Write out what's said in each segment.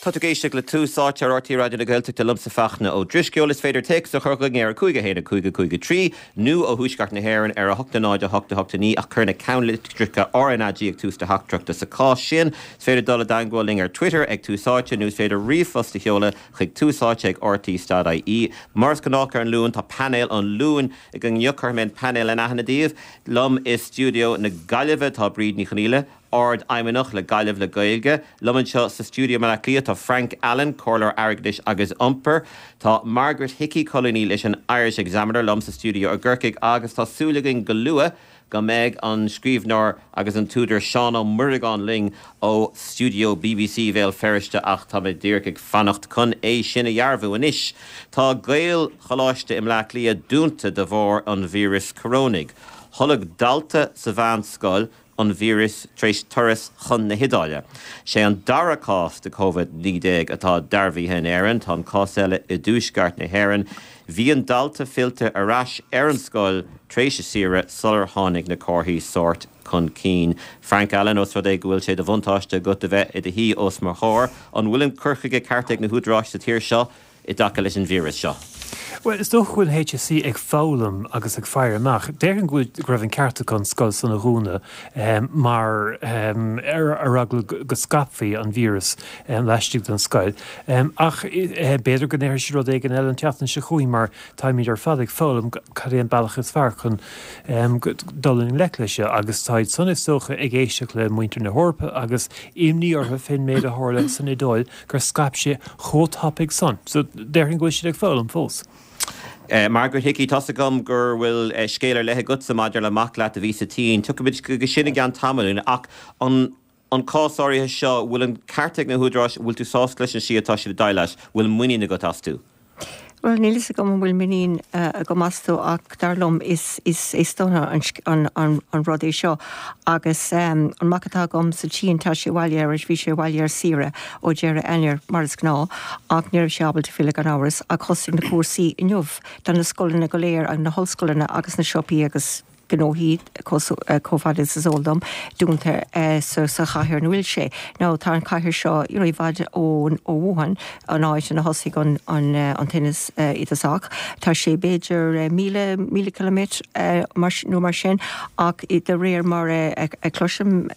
Tá tú ag éisteacht le Tús Áite ar RTÉ Raidió na Gaeltachta liomsa Fachtna Ó Drisceoil. Is féidir téacs a chur chugainn ar 5 1 5 5 3 nó ó thuaisceart na hÉireann ar 8 0 8 8 9 ach cuir na ceannlitreacha RnaG ag tús do theachtaireachta sa chás sin. Is féidir dul i dteangmháil linn ar Twitter ag Tús Áite nó is féidir ríomhphost a sheoladh chuig túsáite ag rte.ie. Mar is gnách ar an Luan tá painéal an Luain againn inniu. Cuirfidh mé an painéal in aithne daoibh. Liom i stiúideo na Gaillimhe tá Bríd Ní Chonghaile, Ard-Fheidhmeannach le Gaillimh le Gaeilge. Liom anseo sa stiúideo i mBaile Átha Cliath tá Frank Allen, Comhairleoir Airgeadais agus Iompair. Tá Margaret Hickey, colúnaí leis an Irish Examiner, liom sa stiúideo i gCorcaigh agus tá súil againn go luath go mbeidh an scríbhneoir agus an t-údar Seán Ó Muireagáin linn ó stiúideo bbc Bhéal Feirste ach tá mé díreach ag fanacht chun é sin a dhearbhú. Anois tá Gaelcholáiste i mBleá Cliath dúnta de bharr an víreas corónaigh. Tholg dalta sa mheánscoil an víreas tar éis turas chun na hIodáile. Sé an dara cás de Covid-19 atá dearbhaithe in Éirinn. Tá an cás eile i dtuaisceart na hÉireann. Bhí an dalta fillte ar ais ar an scoil tar éis a saoire sular tháinig na comharthaí sóirt chun cinn. Frank Allen, Ós rud é go bhfuil sé de bhuntáiste agat a bheith i do shuí os mo chomhair, an bhfuil an cur chuige ceart ag na húdaráis sa tír seo i dtaca leis an víreas seo? Bhuel, is dócha go bhfuil an HSE ag foghlaim agus ag faire amach. Déarfainn go bhfuil, go raibh an ceart acu an scoil san a dhúnadh mar ar eagla go scaipfí an víreas laistigh den scoil. Ach b'fhéidir go ndéarfaidh siad rud éigin eile an tseachtain seo chugainn mar táimid ar fad ag foghlaim cad é an bealach is fearr chun dul i ngleic leis seo agus táid san is dócha ag éisteacht le muintir na hEorpa agus imní orthu fén méid a tharla san Iodáil gur scaip sé chomh tapaidh san. So, déarfainn go bhfuil siad ag foghlaim fós. Margaret Hickey, tá's agam gur bhfuil scéal ar leith agatsa maidir le mac leat a bhí sa tSín. Tiocfaimid chuige sin i gceann tamaillín. Ach an an cás áirithe seo, bhfuil an ceart ag na húdaráis, bhfuil tú sásta leis an slí atá siad ag déileáil leis, bhfuil muinín agat astu? Bhuel, níl fhios agam an bhfuil muinín agam astu ach dar liom is is dona an an rud é seo agus an mac atá agam sa tSín tá sé abhaile ar bhí sé abhaile ar saoire ó deireadh Eanáir mar is gnáth ach ní raibh sé ábalta filleadh gan amhras ach thosaigh na cúrsaí inniu tá na scoileanna go léir agus na hollscoileanna agus na siopaí agus gnóthaí, chomh fada is is eol dom, dúnta sa chathair ina bhfuil sé. Now tá an chathair seo you know i bhfad ó Wuhan, an áit ina thosaigh an an tinneas i dtosach. Tá sé b'fhéidir 1,000, 1,000 ciliméadar nó mar sin ach de réir mar a chloisim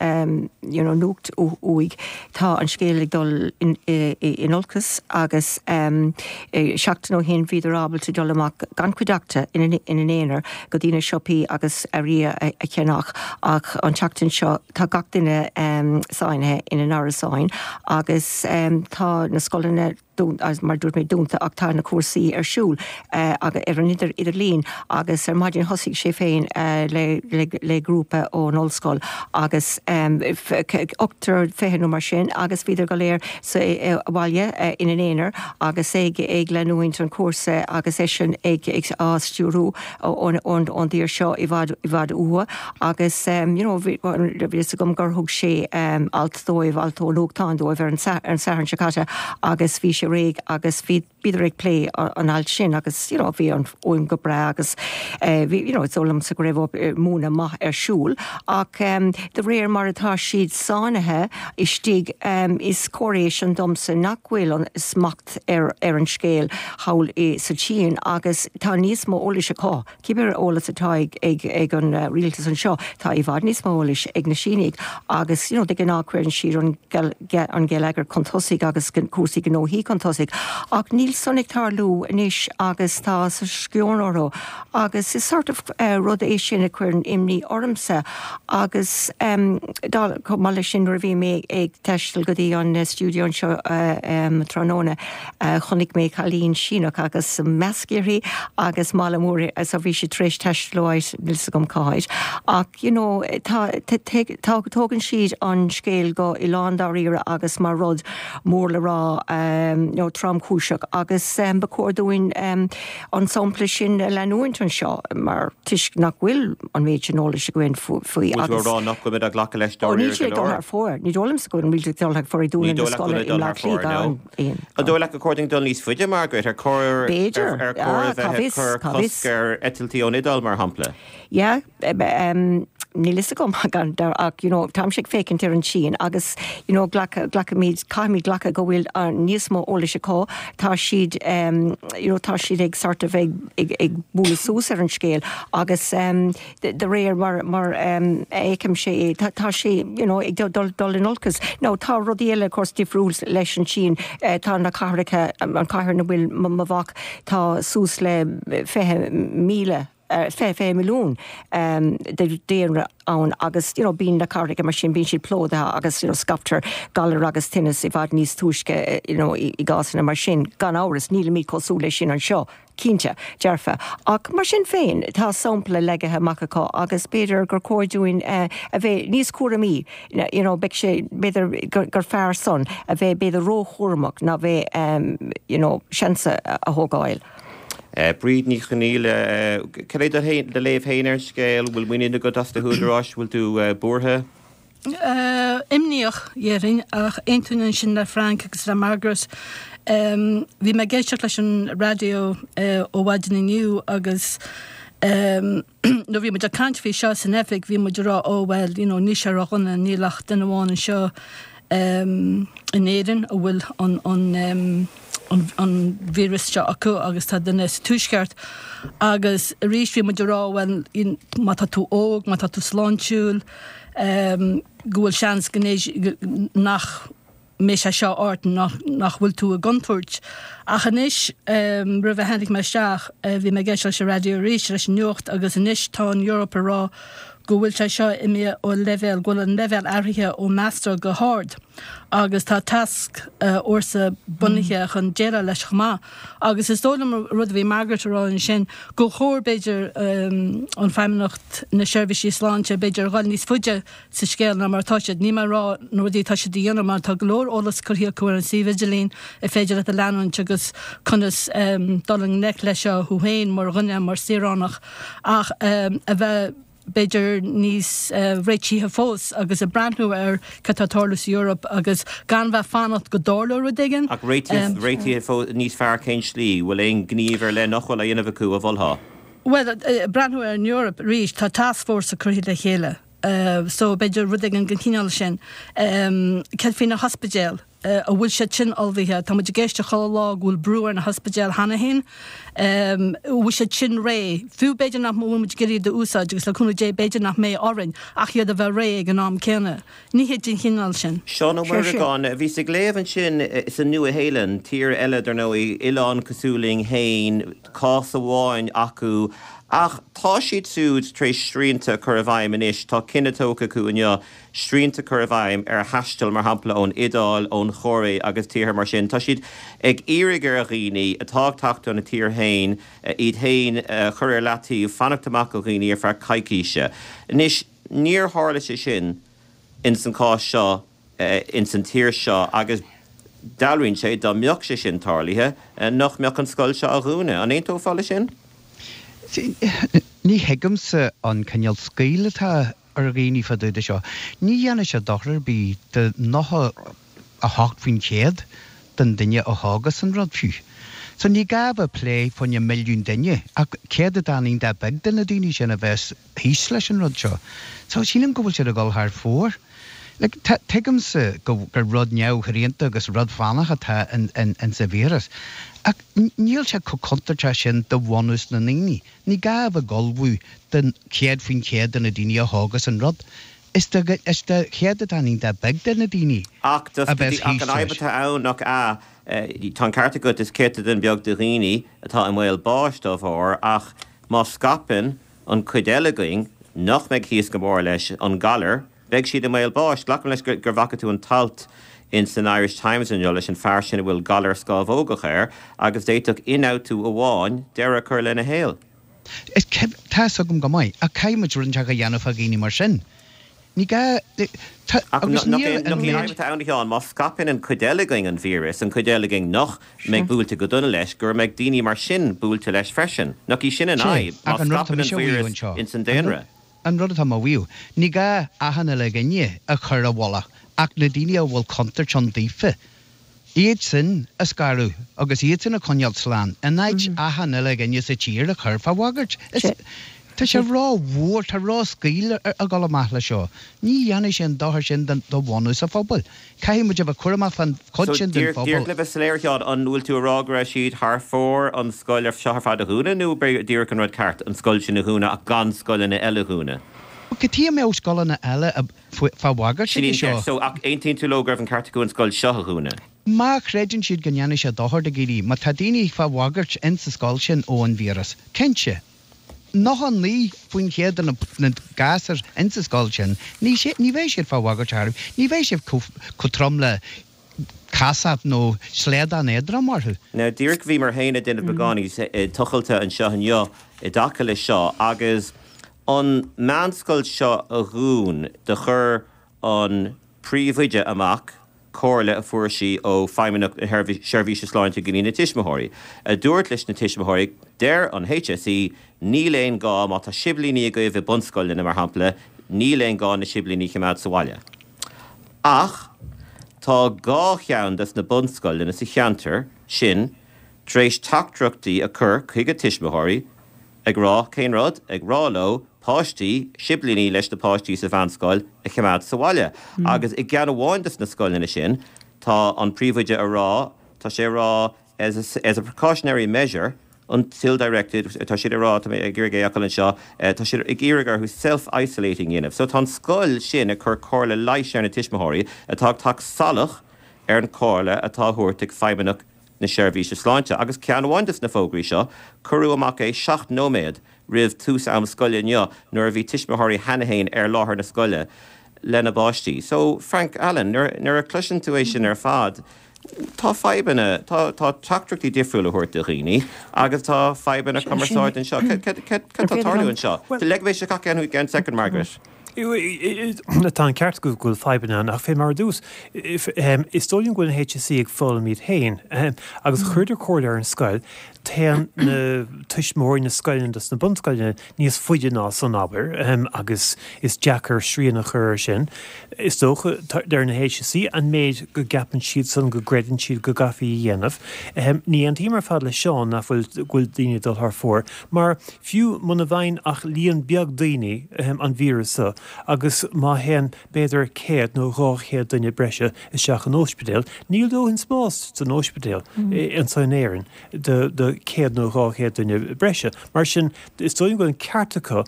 you know nuacht uaidh, Tá an scéal ag dul in olcas agus seachtain ó shin bhíodar ábalta dul amach gan cuideachta ina n-aonar go dtí na siopaí agus earraí a cheannach ach an tseachtain seo tá gach duine sáinnithe ina n-árasáin agus tá na scoileanna mar a dúirt mé, dúnta ach tá na cúrsaí ar siúl ar an idirlíon agus ar maidin thosaigh sé féin le grúpa ón ollscoil agus ochtar 20 nó mar sin agus bhíodar go léir sa bhaile ina n-aonar agus ag leanúint an chúrsa agus eisean ag á stiúrú. ón dtír seo i bhfad i bhfad uathu agus you know bhí fhios agam gur thug sé alt dóibh, alt ó nuachtán dóibh ar an Satharn seo caite agus bhí sé réidh agus bhí bhíodar ag plé an ailt sin agus you know bhí an fhuaim go breá agus bhí you know is dóigh liomsa go raibh múineadh maith ar siúl ach de réir mar atá siad sáinnithe istigh is comhartha é sin domsa nach bhfuil an smacht ar ar an scéal thall i sa tSín agus tá níos mó eolais acu. Cibé eolas atá ag ag ag an rialtas anseo, tá i bhfad níos mó eolais ag na Sínigh agus you know de ghnáth cuireann siad an an geilleagar chun tosaigh agus cúrsaí gnóthaí chun tosaigh ach níl san ag tarlú anois agus tá sceon orthu agus is sort of rud é sin a chuireann imní ormsa agus chomh maith leis sin nuair a bhí mé ag taisteal go dtí an stiúideo anseo tráthnóna chonaic mé cailín Síneach agus masc uirthi agus mála mór so bhí sí tar éis taisteal ó áit níl 'fhios agam cá háit ach you know tá tá tógann siad an scéal go i lándáiríre agus mar rud mór le rá nó tromchúiseach agus ba chóir dúinn an sampla sin a leanúint anseo mar toisc nach bhfuil an méid sin eolais againn faoi Bhfuil tú agus ag rá nach bhfuil muid ag glacadh leis Ó níl dáiríre siad go ag dul leor? thar fóir. Ní dóigh liomsa go bhfuil an rialtas ag dul thar fóir ag Ní dúnadh na dóigh leat go scoile bhfuil i ag dul mBleá thar fóir, Cliath gan no. aon An dóigh leat gur chóir dúinn dul níos faide, Margaret? Ar chóir ar B'fhéidir. ar chóir Ah, a cá bheith ag bhfios, cur cá bhfios. cosc ar eitiltí ón Iodáil, mar shampla? Yeah, um. Níl fhios agam gan dabht ach you know táimse ag féachaint ar an tSín agus you know glac, glacaimid, caithfimid glacadh go bhfuil níos mó eolais acu, tá siad you know tá siad ag sort of ag, ag, ag bualadh suas ar an scéal agus de réir mar, mar a fheicimse é tá, tá sé you know ag dul, dul in olcas. Now tá rudaí eile of course difriúil leis an tSín, tá na cathracha, an cathair ina bhfuil mo mhac, tá suas le 20,000, 20 milliún de daonra ann agus you know bíonn na cathracha mar sin, bíonn siad plódaithe agus you know scaiptear galar agus tinneas i bhfad níos túisce you know i gcásanna mar sin. Gan amhras, nílimid cosúil leis sin anseo, cinnte, dearfa. Ach mar sin féin, tá sampla leagtha amach acu agus b'fhéidir gur chóir dúinn a bheith níos cúramaí, you know beidh sé, b'fhéidir gur fearr san a bheith b'fhéidir róchúramach ná bheith you know seans a thógáil. Bríd Ní Chonghaile, cad é do léamh féin ar an scéal? Bhfuil muinín agat as na húdaráis? Bhfuil tú buartha? Imníoch, déarfainn, ach aontaím ansin le Frank agus le Margaret. Bhí mé ag éisteacht leis an raidió ó mhaidin inniu agus nuair a bhí muid ag caint faoi seo san oifig bhí muid ag rá oh well you know níl sé ródhona, níl ach duine amháin anseo in Éirinn a bhfuil an an an víreas seo acu agus tá duine sa Tuaisceart agus arís bhí muid ag rá bhuel má tá tú óg, má tá tú sláintiúil go bhfuil seans go nach mbeidh sé seo ort, nach nach bhfuil tú i gcontúirt. Ach anois roimh a tháinig mé isteach bhí mé ag éisteacht leis an raidió arís leis an nuacht agus anois tá an Eoraip ag rá go bhfuil sé seo imithe ó leibhéal, go bhfuil an leibhéal athraithe ó measartha go hard agus tá tascfhórsa bunaithe chun déileáil leis chomh maith. Agus is dóigh liom an rud a bhí Margaret a rá ansin, gur chóir b'fhéidir an Feidhmeannacht na seirbhísí sláinte b'fhéidir a dhul níos faide sa scéal ná mar atá siad. Níl mé ag rá na rudaí atá siad a dhéanamh mar tá go leor eolas curtha acu ar an suíomh idirlín ar féidir leat a leanúint agus conas dul i ngleic leis seo thú féin mar dhuine, mar saoránach ach a bheith b'fhéidir níos réitithe fós agus ag breathnú ar cad tá ag tarlú sa Eoraip agus gan bheith fanacht go dtarlóidh rud éigin. Ach réitithe, réitithe fós níos fearr cén slí? Bhfuil aon ghníomh ar leith nach bhfuil á dhéanamh acu a mholfá? Bhuel, breathnú ar an Eoraip arís, tá tascfhórsa curtha le chéile so b'fhéidir rud éigin den chineál sin. Céard faoi na hospidéil? An bhfuil siad sin ullmhaithe? Tá muid ag éisteacht chuile lá go bhfuil brú ar na hospidéil cheana féin. An bhfuil siad sin réidh? Fiú b'fhéidir nach bhfuil muid ag iarraidh iad a úsáid agus le cúnamh Dé b'fhéidir nach mbeidh orainn ach iad a bheith réidh ag an am céanna. Nithe den chineál sin. Seán Ó Muireagáin, bhíos ag léamh ansin sa Nua-Shéalainn, tír eile dar ndóigh, oileán cosúil linn féin, cás amháin acu ach tá siad siúd tar éis srianta a chur i bhfeidhm anois, tá cinneadh tógtha acu inniu srianta a chur i bhfeidhm ar thaisteal, mar shampla, ón Iodáil, ón Chóiré agus tíortha mar sin. Tá siad ag iarraidh ar dhaoine atá ag teacht óna tír féin iad féin a chur ar leataobh, fanacht amach ó dhaoine ar feadh coicíse. Anois, níor tharla sé sin ins an chás seo ins an tír seo agus dealraíonn sé, dá mbeadh sé sin tarlaithe, nach mbeadh an scoil seo á dhúnadh. An aontófá leis sin? Ní thuigimse an cineál scaoll atá ar dhaoine fá dtaobh de seo. Ní dhéanfaidh sé dochar ar bith do 98% den duine a thógas an rud fiú. So ní gá a bheith ag plé fá choinne milliún duine ach céatadán iontach beag de na daoine sin a bheas thíos leis an rud seo. So sílim go bhfuil siad ag dul thar fóir. Like, tuigimse go gur rud neamhshrianta agus rud fánach atá in sa víreas ach níl sé chomh contúirteach sin do bhunús na ndaoine. Ní gá a bheith ag ullmhú don 100% de na daoine a thógas an rud. Is do chéatadán iontach beag de na daoine Ach a bheas ach thíos an fhadhb leis. atá ann, nach ea, tá an ceart agat, is céatadán beag de dhaoine atá i mbaol báis dá bharr, ach má scaipeann an chuid eile againn, nach mbeidh thíos go mór leis an galar, Beidh siad i mbaol báis. Glacaim leis gur bhfaca tú an t-alt in san Irish Times inniu leis an fear sin a bhfuil galar scámhógach air agus d'fhéadfadh ionfhabhtú amháin deireadh a chur lena shaol. Is tá fhios agam go maith, ach caithfidh muid rud inteacht a dhéanamh fá dhaoine mar sin. Ní gá, tá, Ach agus nach níl an méid. fhadhb atá ann, a Sheáin, má scaipeann an chuid eile againn an víreas, an chuid eile againn nach mbeidh buailte go dona leis, go mbeidh daoine mar sin buailte leis freisin. Nach í sin an fhadhb, má ach an rud atá scaipeann an mise a mhaíomh víreas anseo, ins an daonra? An rud atá mé a mhaíomh, ní gá achan uile dhuine a chur i bhfolach ach na daoine a bhfuil contúirt ann daofa, iad sin a scaradh agus iad sin a choinneáil slán, in áit achan uile dhuine sa tír a chur fá bhagairt. Is. Tá sé ró-mhór, tá ró-scaoll ag dul amach le seo. Ní dhéanfaidh sé an dochar sin do bhunús an phobail. Caithfidh muid a bheith cúramach fán chuid sin den phobal. Díreach le bheith soiléir, a Sheáin, an bhfuil tú a rá go raibh siad thar fóir an scoil seo ar fad a dhúnadh nó b'é díreach an rud ceart an scoil sin a dhúnadh ach gan scoileanna eile a dhúnadh? Cad chuige a mbeadh scoileanna eile fá bhagairt Sin í an cheist. So, ach aontaíonn tú leo go raibh an ceart acu an scoil seo a dhúnadh? Má chreideann siad go ndéanfaidh sé dochar do dhaoine, má tá daoine fá bhagairt in sa scoil sin ó an víreas, cinnte, 99% de na gasúir in sa scoil sin, ní ní bheidh siad fá bhagairt ar chor ar bith, ní bheidh siad chomh trom le casacht nó slaghdán éadrom orthu. Now, díreach bhíomar féin ag déanamh beagáinín tochailte anseo inniu i dtaca leis seo agus an meánscoil seo a dhún do chuir an príomhoide amach comhairle a fuair sí ó Feidhmeannacht na Seirbhíse Sláinte go dtí na tuismitheoirí, a dúirt leis na tuismitheoirí, deir an HSE, níl aon gá, má tá siblíní agaibh i bunscoileanna, mar shampla, níl aon gá na siblíní a choimeád sa bhaile. Ach tá 2 cheann des na bunscoileanna sa cheantar sin tar éis teachtaireachtaí a chur chuig a tuismitheoirí ag rá cén rud? Ag rá leo páistí, siblíní leis na páistí sa mheánscoil a choimeád sa bhaile. Agus i gceann amháin des na scoileanna sin tá an príomhoide a rá, tá sé a rá as a, as a precautionary measure until directed, tá siad a rá, tá mé ag iarraidh é a fháil anseo, tá siad ag iarraidh orthu self-isolating a dhéanamh. So tá an scoil sin ag cur comhairle leighis ar na tuismitheoirí atá ag teacht salach ar an chomhairle atá á thabhairt ag Feidhmeannacht na Seirbhíse Sláinte agus ceann amháin des na fógraí seo, cuireadh amach é 7 nóiméad roimh tús am scoile inniu nuair a bhí tuismitheoirí cheana fhéin ar láthair na scoile lena bpáistí. So, Frank Allen, nuair a chloiseann tú é sin ar fad, tá fadhbanna, tá tá teachtaireachtaí difriúla a thabhairt do dhaoine agus tá fadhbanna cumarsáide anseo. Cad tá ag tarlú anseo? Leig mé isteach i gceann soicind, Margaret. Tá an ceart agat go bhfuil fadhbanna ann ach fé mar a dúirt, is dóigh liom go bhfuil an HSE ag foghlaim iad féin agus chuireadar comhairle ar an scoil, téann na tuismitheoirí na scoileanna dos na bunscoileanna níos faide ná san, abair, agus is deacair srian a chur air sin. Is dócha, deir na HSE, an méid go gceapann siadsan, go gcreideann siad go gcaithfí a dhéanamh. Ní aontaím ar fad le Seán nach bhfuil, go bhfuil daoine ag dul thar fóir, mar fiú muna bhfaigheann ach líon beag daoine an víreas seo agus má théann b'fhéidir 100 nó 200 duine breise isteach in ospidéal, níl dóthain spáis san ospidéal anseo in Éirinn do 100 nó 200 duine breise. Mar sin, is dóigh liom go bhfuil an ceart acu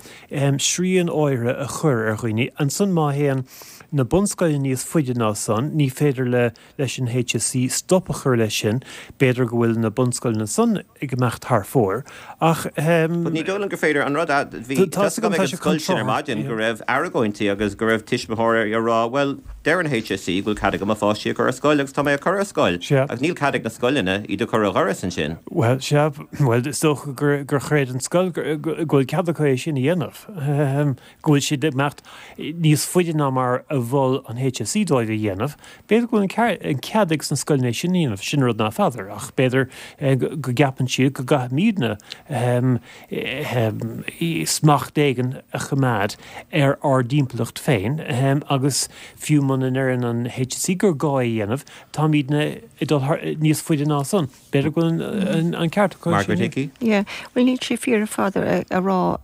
srian áirithe a chur ar dhaoine. Ansan má théann na bunscoileanna níos faide ná san, ní féidir le leis an HSE stop a chur leis sin. B'fhéidir go bhfuil na bunscoileanna san ag imeacht thar fóir ach. But ní dóigh liom gur féidir an rud a, bhí, tá 'fhios agam ag an scoil sin ar maidin go raibh argóintí agus go raibh tuismitheoirí ag rá bhuel deir an HSE go bhfuil cead agam mo pháistí a chur ar scoil agus tá mé á cur ar scoil agus níl cead ag na scoileanna iad a chur ar dhoras ansin. Bhuel, sea, bhuel is dócha gur, gur chreid an scoil go bhfuil cead acu é sin a dhéanamh. go bhfuil siad ag imeacht níos faide ná mar a mhol an HSE dóibh a dhéanamh. B'fhéidir go bhfuil an cead ag na scoileanna é sin a dhéanamh, sin rud ná feadar, ach b'fhéidir go gceapann siad go gcaithfimidne smacht éigin a choimeád ar ár dtimpeallacht féin agus fiú muna ndeireann an HSE gur gá é a dhéanamh, táimidne ag dul níos faide ná san. B'fhéidir go bhfuil an ceart acu Margaret Hickey. Yeah, bhuel níl sé fíor ar fad a rá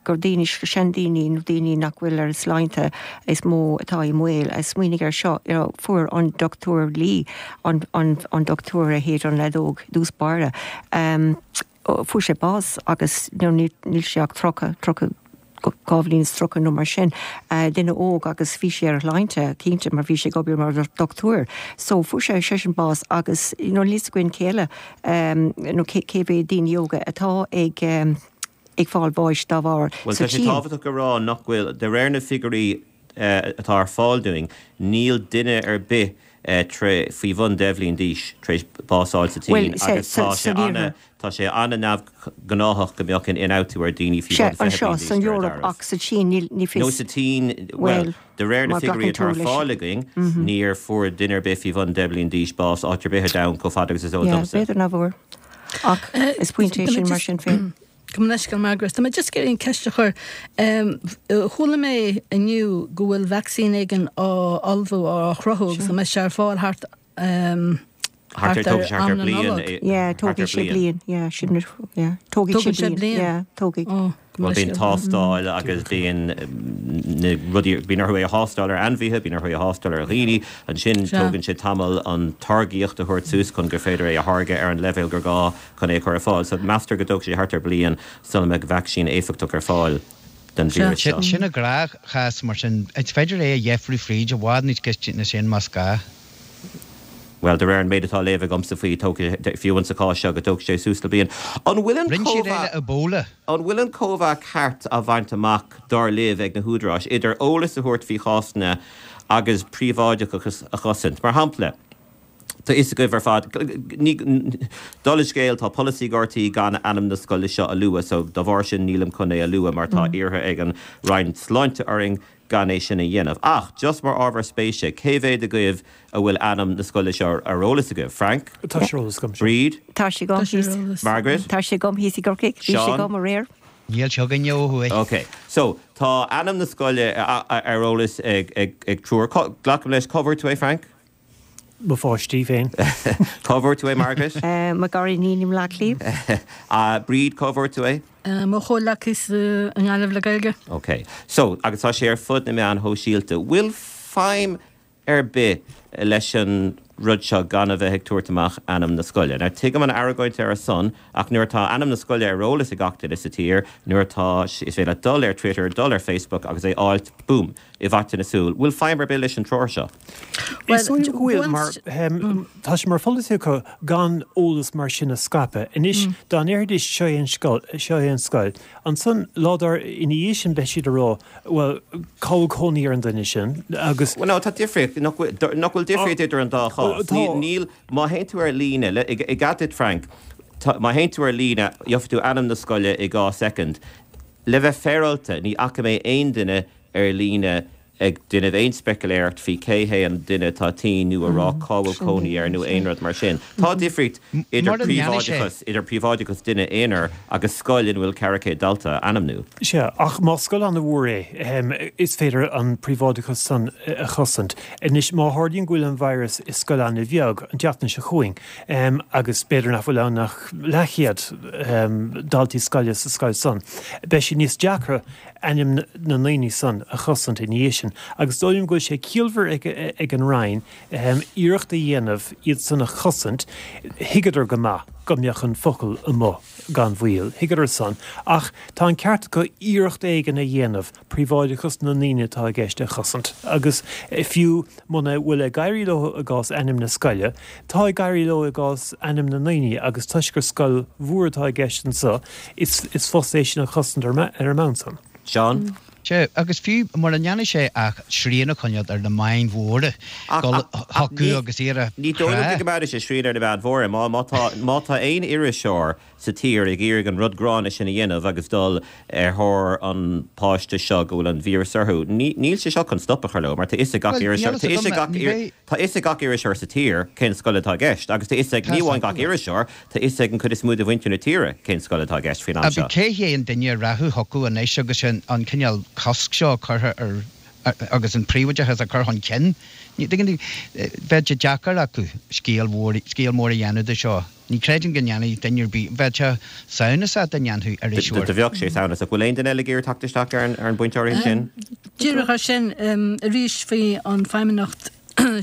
gur daoine, seandaoine nó daoine nach bhfuil ar a sláinte is mó atá i mbaol. Smaoinigh air seo, you know, fuair an Dochtúir Lee, an, an, an dochtúir a shéid an fheadóg i dtús báire, fuair sé bás agus you know, níl sé ach 30, 30, 2 bhliain is 30 nó mar sin, duine óg agus bhí sé ar a shláinte, cinnte, mar bhí sé ag obair mar dhochtúir. So fuair sé seisean bás agus you know níl 'fhios againn cé eile nó cé cé mhéad daoine óga atá ag ag fáil bháis dá bharr Bhuel tá sé tábhachtach a rá nach bhfuil, de réir na figiúirí atá ar fáil dúinn, níl duine ar bith faoi bhun 10 bhliain d'aois tar éis bás a fháil sa tSín agus tá sé ana tá sé ana-neamhghnáthach go mbeadh an ionfhabhtú ar daoine faoi bhun 20 bliain d'aois ar deireadh. Ach sa tSín ní fios. Nó sa tSín, bhuel, de réir na figiúirí atá ar fáil againn, níor fuair duine ar bith faoi bhun 10 bliain d'aois bás áit ar bith ar domhan chomh fada agus is eol domsa. B'fhéidir nach bhfuair. Ach is pointe é sin mar sin féin. Gabh mo leithscéal Margaret. Tá mé just ag iarraidh an ceist a chur. Chuala mé inniu go bhfuil vacsaín éigin á ullmhú, á chruthú agus go mbeidh sé ar fáil thart thart ar am na Nollag. Yeah, tógfaidh sé bliain. Yeah, sin yeah. Tógfaidh sé bliain. Yeah, tógfaidh. Bhuel, bíonn tástáil agus bíonn na rudaí, bíonn orthu é a thástáil ar ainmhithe, bíonn orthu é a thástáil ar dhaoine. Ansin tógann sé tamall an táirgíocht a thabhairt suas chun gur féidir é a tháirgeadh ar an leibhéal gur gá chun é a chur ar fáil. So meastar go dtógfaidh sé thart ar bliain sula mbeidh vaicsín éifeachtach ar fáil don víreas seo. Sin an gnáthchás mar sin. Is féidir é a dheifriú fríd i bhfad níos gaiste ná sin más gá. Bhuel, de réir an méid atá á léamh agamsa faoi, tógfaidh sé, fiú insa chás seo, go dtógfaidh sé suas le bliain. An bhfuil an Rinne siad é le Ebola. An bhfuil an cóimheá ceart á bhaint amach, dar libh, ag na húdaráis, idir eolas a thabhairt faoi chásanna agus príobháideachas a chosaint? Mar shampla, tá fhios agaibh ar fad, ní, dála an scéil, tá polasaí ag RTÉ gan ainm na scoile seo a lua, so dá bharr sin nílim chun é a lua mar tá iarrtha ag an Roinn Sláinte orainn gan é sin a dhéanamh. Ach, just mar ábhar spéise, cé mhéad agaibh a bhfuil ainm na scoile seo ar eolas agaibh? Frank? Tá sé ar eolas agam. Bríd? Tá sé agam thíos. Margaret? Tá sé agam thíos i gCorcaigh. Bhí sé Seán? agam aréir. Níl sé againne ó thuaidh. Ok. So, tá ainm na scoile ar eolas ag triúr. Glacaim leis, cá bhfuair tú é, Frank? Mo pháistí féin. Cá bhfuair tú é, Margaret? Mo ghariníon i mBleá Cliath. Bríd, cá bhfuair tú é? Mo chomhleacaí i nGaillimh le Gaeilge. Ok. So, agus tá sé ar fud na meán shóisialta. Bhfuil feidhm ar bith leis an rud seo gan a bheith ag tabhairt amach ainm na scoile? Now, tuigim an argóint ar a son, ach nuair atá ainm na scoile ar eolas ag gach duine sa tír, nuair atá, is féidir leat dul ar Twitter, dul ar Facebook agus é fháilt, boom! i bhfaiteadh na súl. Bhfuil feidhm ar bith leis an treoir seo? Is dóigh liom go bhfuil, mar tá sé mar pholasaí acu gan eolas mar sin a scaipeadh. Anois, dá ndéarfaidís seo é an scoil, seo é an scoil, ansan lá dár ina dhiaidh sin beidh siad ag rá, bhuel, cá bhfuil cónaí ar an duine sin agus. Bhuel, no, tá difríocht, nach bhfuil, nach bhfuil difríocht idir an dá chás? Tá. Níl, má théann tú ar líne, le, i gcead duit Frank, tá, má théann tú ar líne, gheobhaidh tú ainm na scoile i 2 soicind. Le bheith féaráilte, ní fhaca mé aon duine ar líne ag déanamh aon speiciléireacht faoi cé hé an duine atá tinn nó a rá cá bhfuil cónaí air nó aon rud mar sin. Tá difríocht idir Mura ndéanfaidh sé. príobháideachas, idir príobháideachas duine aonair agus scoil ina bhfuil 400 dalta a ainmniú. Sea, ach más scoil an-mhór é, is féidir an príobháideachas san a chosaint. Anois, má tharlaíonn go bhfuil an virus i scoil an-bheag, an tseachtain seo chugainn, agus b'fhéidir nach bhfuil ann ach leathchéad daltaí scoile sa scoil san, beidh sé níos deacra ainm na ndaoine san a chosaint ina dhiaidh sin. Agus is dóigh liom go bhfuil sé ciallmhar ag an Roinn iarracht a dhéanamh iad san a chosaint. Thuigeadar go maith go mbeadh an focal amuigh gan mhoill, thuigeadar san, ach tá an ceart acu iarracht éigin a dhéanamh príobháideachas na ndaoine atá i gceist a chosaint. Agus fiú Muna bhfuil ag éirí leo i gcás ainm na scoile, tá ag éirí leo i gcás ainm na ndaoine agus toisc gur scoil mhór atá i gceist anseo, is fusa é sin a chosaint ar an mbonn san. Seán? Sea, agus fiú mura ndéanfaidh sé ach srian a choinneáil ar na meáin mhóra, dul chucu agus iarraidh Ní dóigh liom go gcoimeádfaidh sé srian ar na meáin mhóra. Má tá, má tá aon iriseoir sa tír ag iarraidh an rud gránna sin a dhéanamh agus dul ar thóir an páiste seo go bhfuil an víreas orthu. Níl sé seo chun stop a chur leo mar tá fhios ag gach iriseoir, tá fhios ag gach, tá fhios ag gach iriseoir sa tír cén scoil atá i gceist agus tá fhios ag, ní amháin gach iriseoir, tá fhios ag an chuid is mó de mhuintir na tíre cén scoil atá i gceist faoin am seo. Cé hé an duine a rachadh chucu anois agus an cineál cosc seo curtha ar agus an príobháideachas á chur chun cinn? Tuigeann tú, bheadh sé deacair acu scéal mhór, scéal mór a dhéanamh de seo. Ní chreidim go ndéanfaidh duine ar bith, bheadh sé samhnasach dá ndéanfadh iriseoir. Do bheadh sé samhnasach. Bhfuil aon duine eile ag iarraidh teacht isteach ar an bpointe áirithe sin? Díreach ar sin, arís faoi an Feidhmeannacht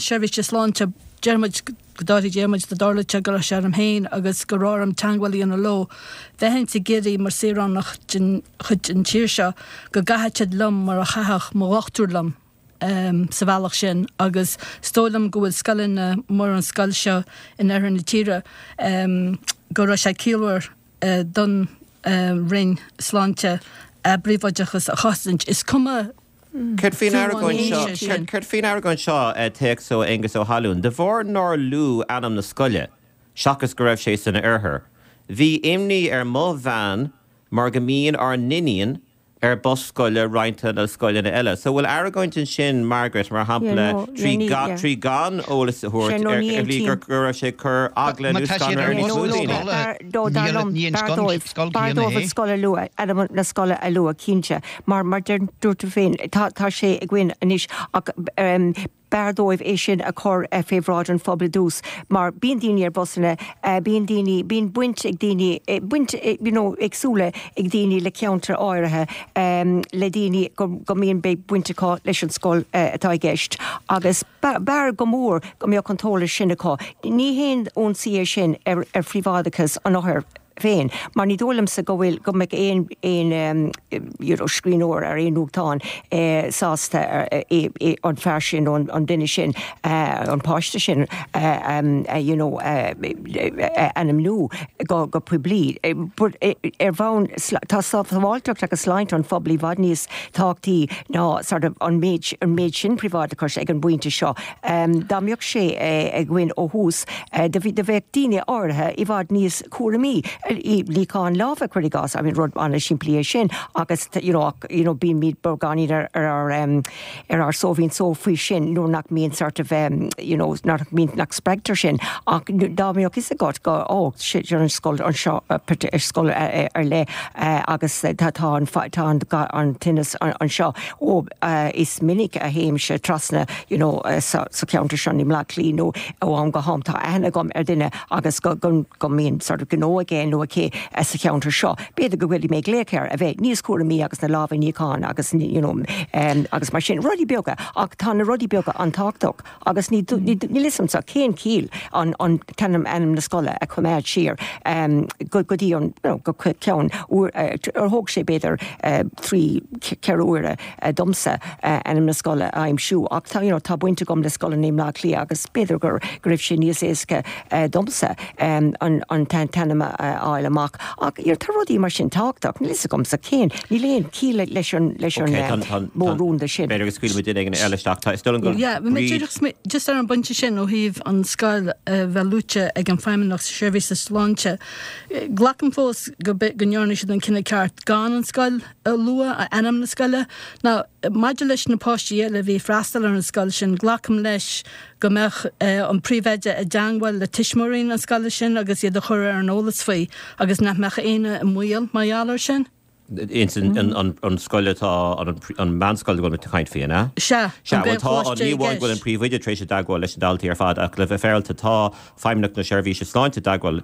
Seirbhíse Sláinte, deir muid go dtabharfaidh Dia muid dá dtarlódh sé go raibh sé orm féin agus go raibh orm teagmháil a dhéanamh leo, bheinn ag iarraidh mar saoránach den chuid den tír seo go gcaithfeadh siad liom mar a chaithfeadh mo dhochtúir liom. sa bhealach sin agus is dóigh liom go bhfuil scoileanna mar an scoil seo in oirthear na tíre go raibh sé ciallmhar don Roinn Sláinte a bpríobháideachas a chosaint. Is cuma Céard faoin argóint seo, céard faoin argóint seo, téacs ó Aengus Ó hAlúin, de bharr nár luadh ainm na scoile, seachas go raibh sé san oirthear, bhí imní ar mo bhean mar go mbíonn ár n-iníon ar bus scoile roinnte le scoileanna eile. So bhfuil argóint ansin, Margaret, mar shampla, trí gan, trí gan eolas a thabhairt ar shlí gur go raibh sé ag cur eagla nó scanradh ar níos mó daoine? No, dar liom, b'fhearr dóibh, b'fhearr dóibh an scoil a lua, ainm na scoile a lua, cinnte. Mar, mar dúirt tú féin, tá, tá sé againn anois ach. B'fhearr dóibh é sin a chur fé bhráid an phobail i dtús mar bíonn daoine ar bhusanna, bíonn daoine, bíonn baint ag daoine, baint you know éagsúla ag daoine le ceantair áirithe, le daoine go go mbíonn beidh baint acu leis an scoil atá i gceist agus b'fhearr go mór go mbeadh an t-eolas sin acu. Ní haon ionsaí é sin ar ar phríobháideachas an othair. féin, mar ní dóigh liomsa go bhfuil, go mbeadh aon, aon you know scríbhneoir ar aon nuachtán sásta an fear sin nó an duine sin, an páiste sin you know a ainmniú go, go poiblí. But ar bhonn, tá sábháilteacht agus sláinte an phobail i bhfad níos tábhachtaí ná sort of an méid, an méid sin príobháideachais ag an bpointe seo. Dá mbeadh sé againn ó thús, do bheadh daoine áirithe i bhfad níos cúramaí. Níochán láimhe, cuir i gcás, I mean rud an-simplí é sin agus you know ach you know bímid beagáinín ar ar ár ar ár sóimhín só faoi sin nuair nach mbíonn sort of you know nach mbíonn nach spreagtar sin ach dá mbeadh fhios agat go oh sin an scoil anseo scoil ar leith agus tá tá an tá an an tinneas anseo ó is minic a théimse trasna you know sa sa cheantar seo i mBleá Cliath nó ó am go ham tá aithne agam ar duine agus go go go mbíonn sort of gnó aige nó aici sa cheantar seo, b'fhéidir go bhfuil mé ag glaoch air a bheith níos cúramaí agus na lámha a níochán agus you know agus mar sin, rudaí beaga ach tá na rudaí beaga an-tábhachtach agus ní níl fhios a'msa cén chiall an an t-ainm ainm na scoile a choimeád siar go go dtí an you know go ceann uair ar thóg sé b'fhéidir 3 4 uaire domsa ainm na scoile a aimsiú ach tá you know tá baint agam le scoileanna i mBleá Cliath agus b'fhéidir gur go raibh sé níos éasca domsa an an t-ainm a fháil amach ach you know tá rudaí mar sin tábhachtach níl fhios agamsa cén níl aon chiall leis an leis an modh rúnda sin. B'fhéidir go scaoilfimid duine éigin eile isteach. Tá is dóigh liom go Yeah, bhí mé díreach just ar an bpointe sin ó thaobh an scoil a bheith luaite ag an Feidhmeannacht Seirbhíse Sláinte. Glacaim fós go go ndearna siad an cinneadh ceart gan an scoil a lua, ainm na scoile. Now, maidir leis na páistí eile a bhí ag freastal ar an scoil sin, glacaim leis go mbeadh an príomhoide i dteangmháil le tuismitheoirí na scoile sin agus iad a chur ar an eolas faoi agus nach mbeadh éinne i mbaol mar gheall air sin. Ins an scoil atá, an meánscoil a bhfuil muid ag caint faoi, an ea? Sea, an Gaelcholáiste i gceist. Ní amháin go bhfuil an príomhoide tar éis i dteagmháil leis na daltaí ar fad ach le bheith féaráilte tá Feidhmeannacht na Seirbhíse Sláinte i dteagmháil